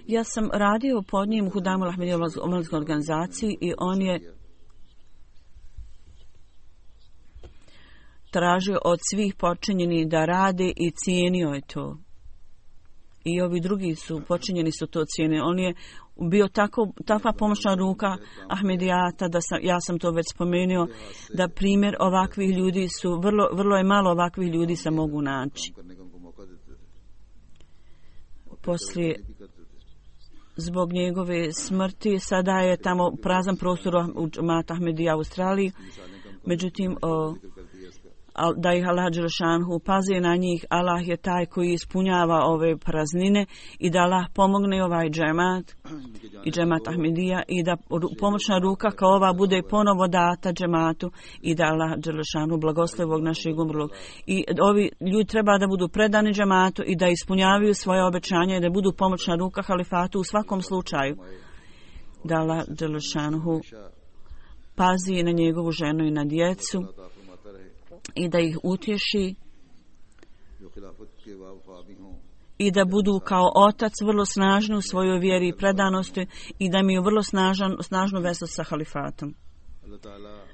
Ja sam radio pod njim u Hudamu Ahmedijevoj omladinskoj organizaciji i on je tražio od svih počinjeni da rade i cijenio je to. I ovi drugi su počinjeni su to cijene. On je bio tako, takva pomoćna ruka Ahmedijata, da sam, ja sam to već spomenuo, da primjer ovakvih ljudi su, vrlo, vrlo je malo ovakvih ljudi se mogu naći. Poslije, zbog njegove smrti, sada je tamo prazan prostor u džematu Ahmedija u Australiji, međutim, o, da ih Allah Đelešanhu pazi na njih, Allah je taj koji ispunjava ove praznine i da Allah pomogne ovaj džemat i džemat Ahmedija i da pomoćna ruka kao ova bude ponovo data džematu i da Allah Đelešanhu blagoslovi ovog našeg umrlog. I ovi ljudi treba da budu predani džematu i da ispunjavaju svoje obećanja i da budu pomoćna ruka halifatu u svakom slučaju. Da Allah Đelešanhu pazi na njegovu ženu i na djecu i da ih utješi i da budu kao otac vrlo snažni u svojoj vjeri i predanosti i da imaju vrlo snažan, snažnu vezu sa halifatom.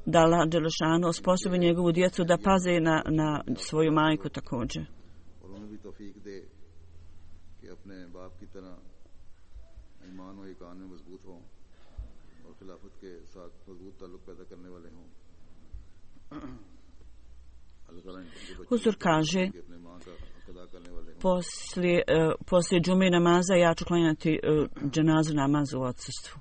Da Allah Đelešanu osposobi njegovu djecu da paze na, na svoju majku također. Huzur kaže, poslije, uh, poslije džume namaza ja ću klanjati uh, dženazu namaz u odsustvu.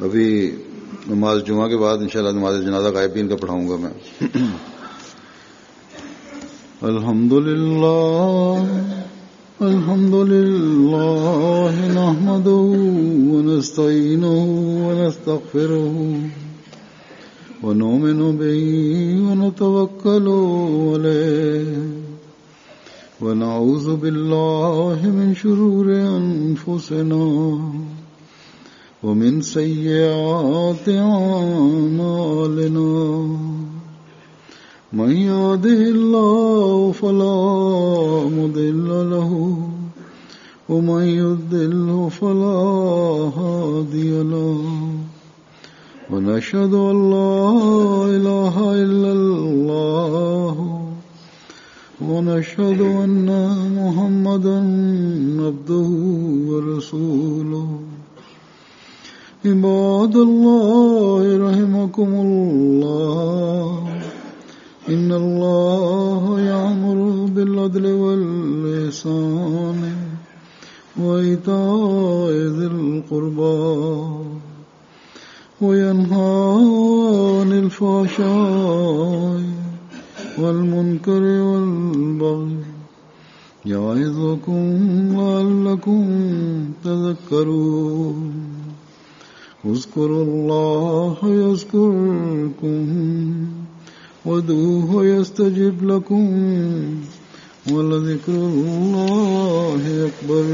अभी नमाज जुमा के बाद इंशाल्लाह नमाज जनाजा गायबीन का पढ़ाऊंगा मैं. अल्हम्दुलिल्लाह अल्हम्दुलिल्लाह नहमदुहु व नस्तईनुहु व नस्तगफिरुहु व नुमिनु बिही व नतवक्कलु अलैहि व नऊज़ु बिल्लाहि मिन शुरूरि अनफुसिना ومن سيئات أعمالنا من يهده الله فلا مضل له ومن يضلل فلا هادي له ونشهد أن لا إله إلا الله ونشهد أن محمدا عبده ورسوله عباد الله رحمكم الله إن الله يأمر بالعدل والإحسان وإيتاء ذي القربى وينهى عن الفحشاء والمنكر والبغي يعظكم لعلكم تذكرون اذكروا الله يذكركم وادعوه يستجب لكم ولذكر الله أكبر.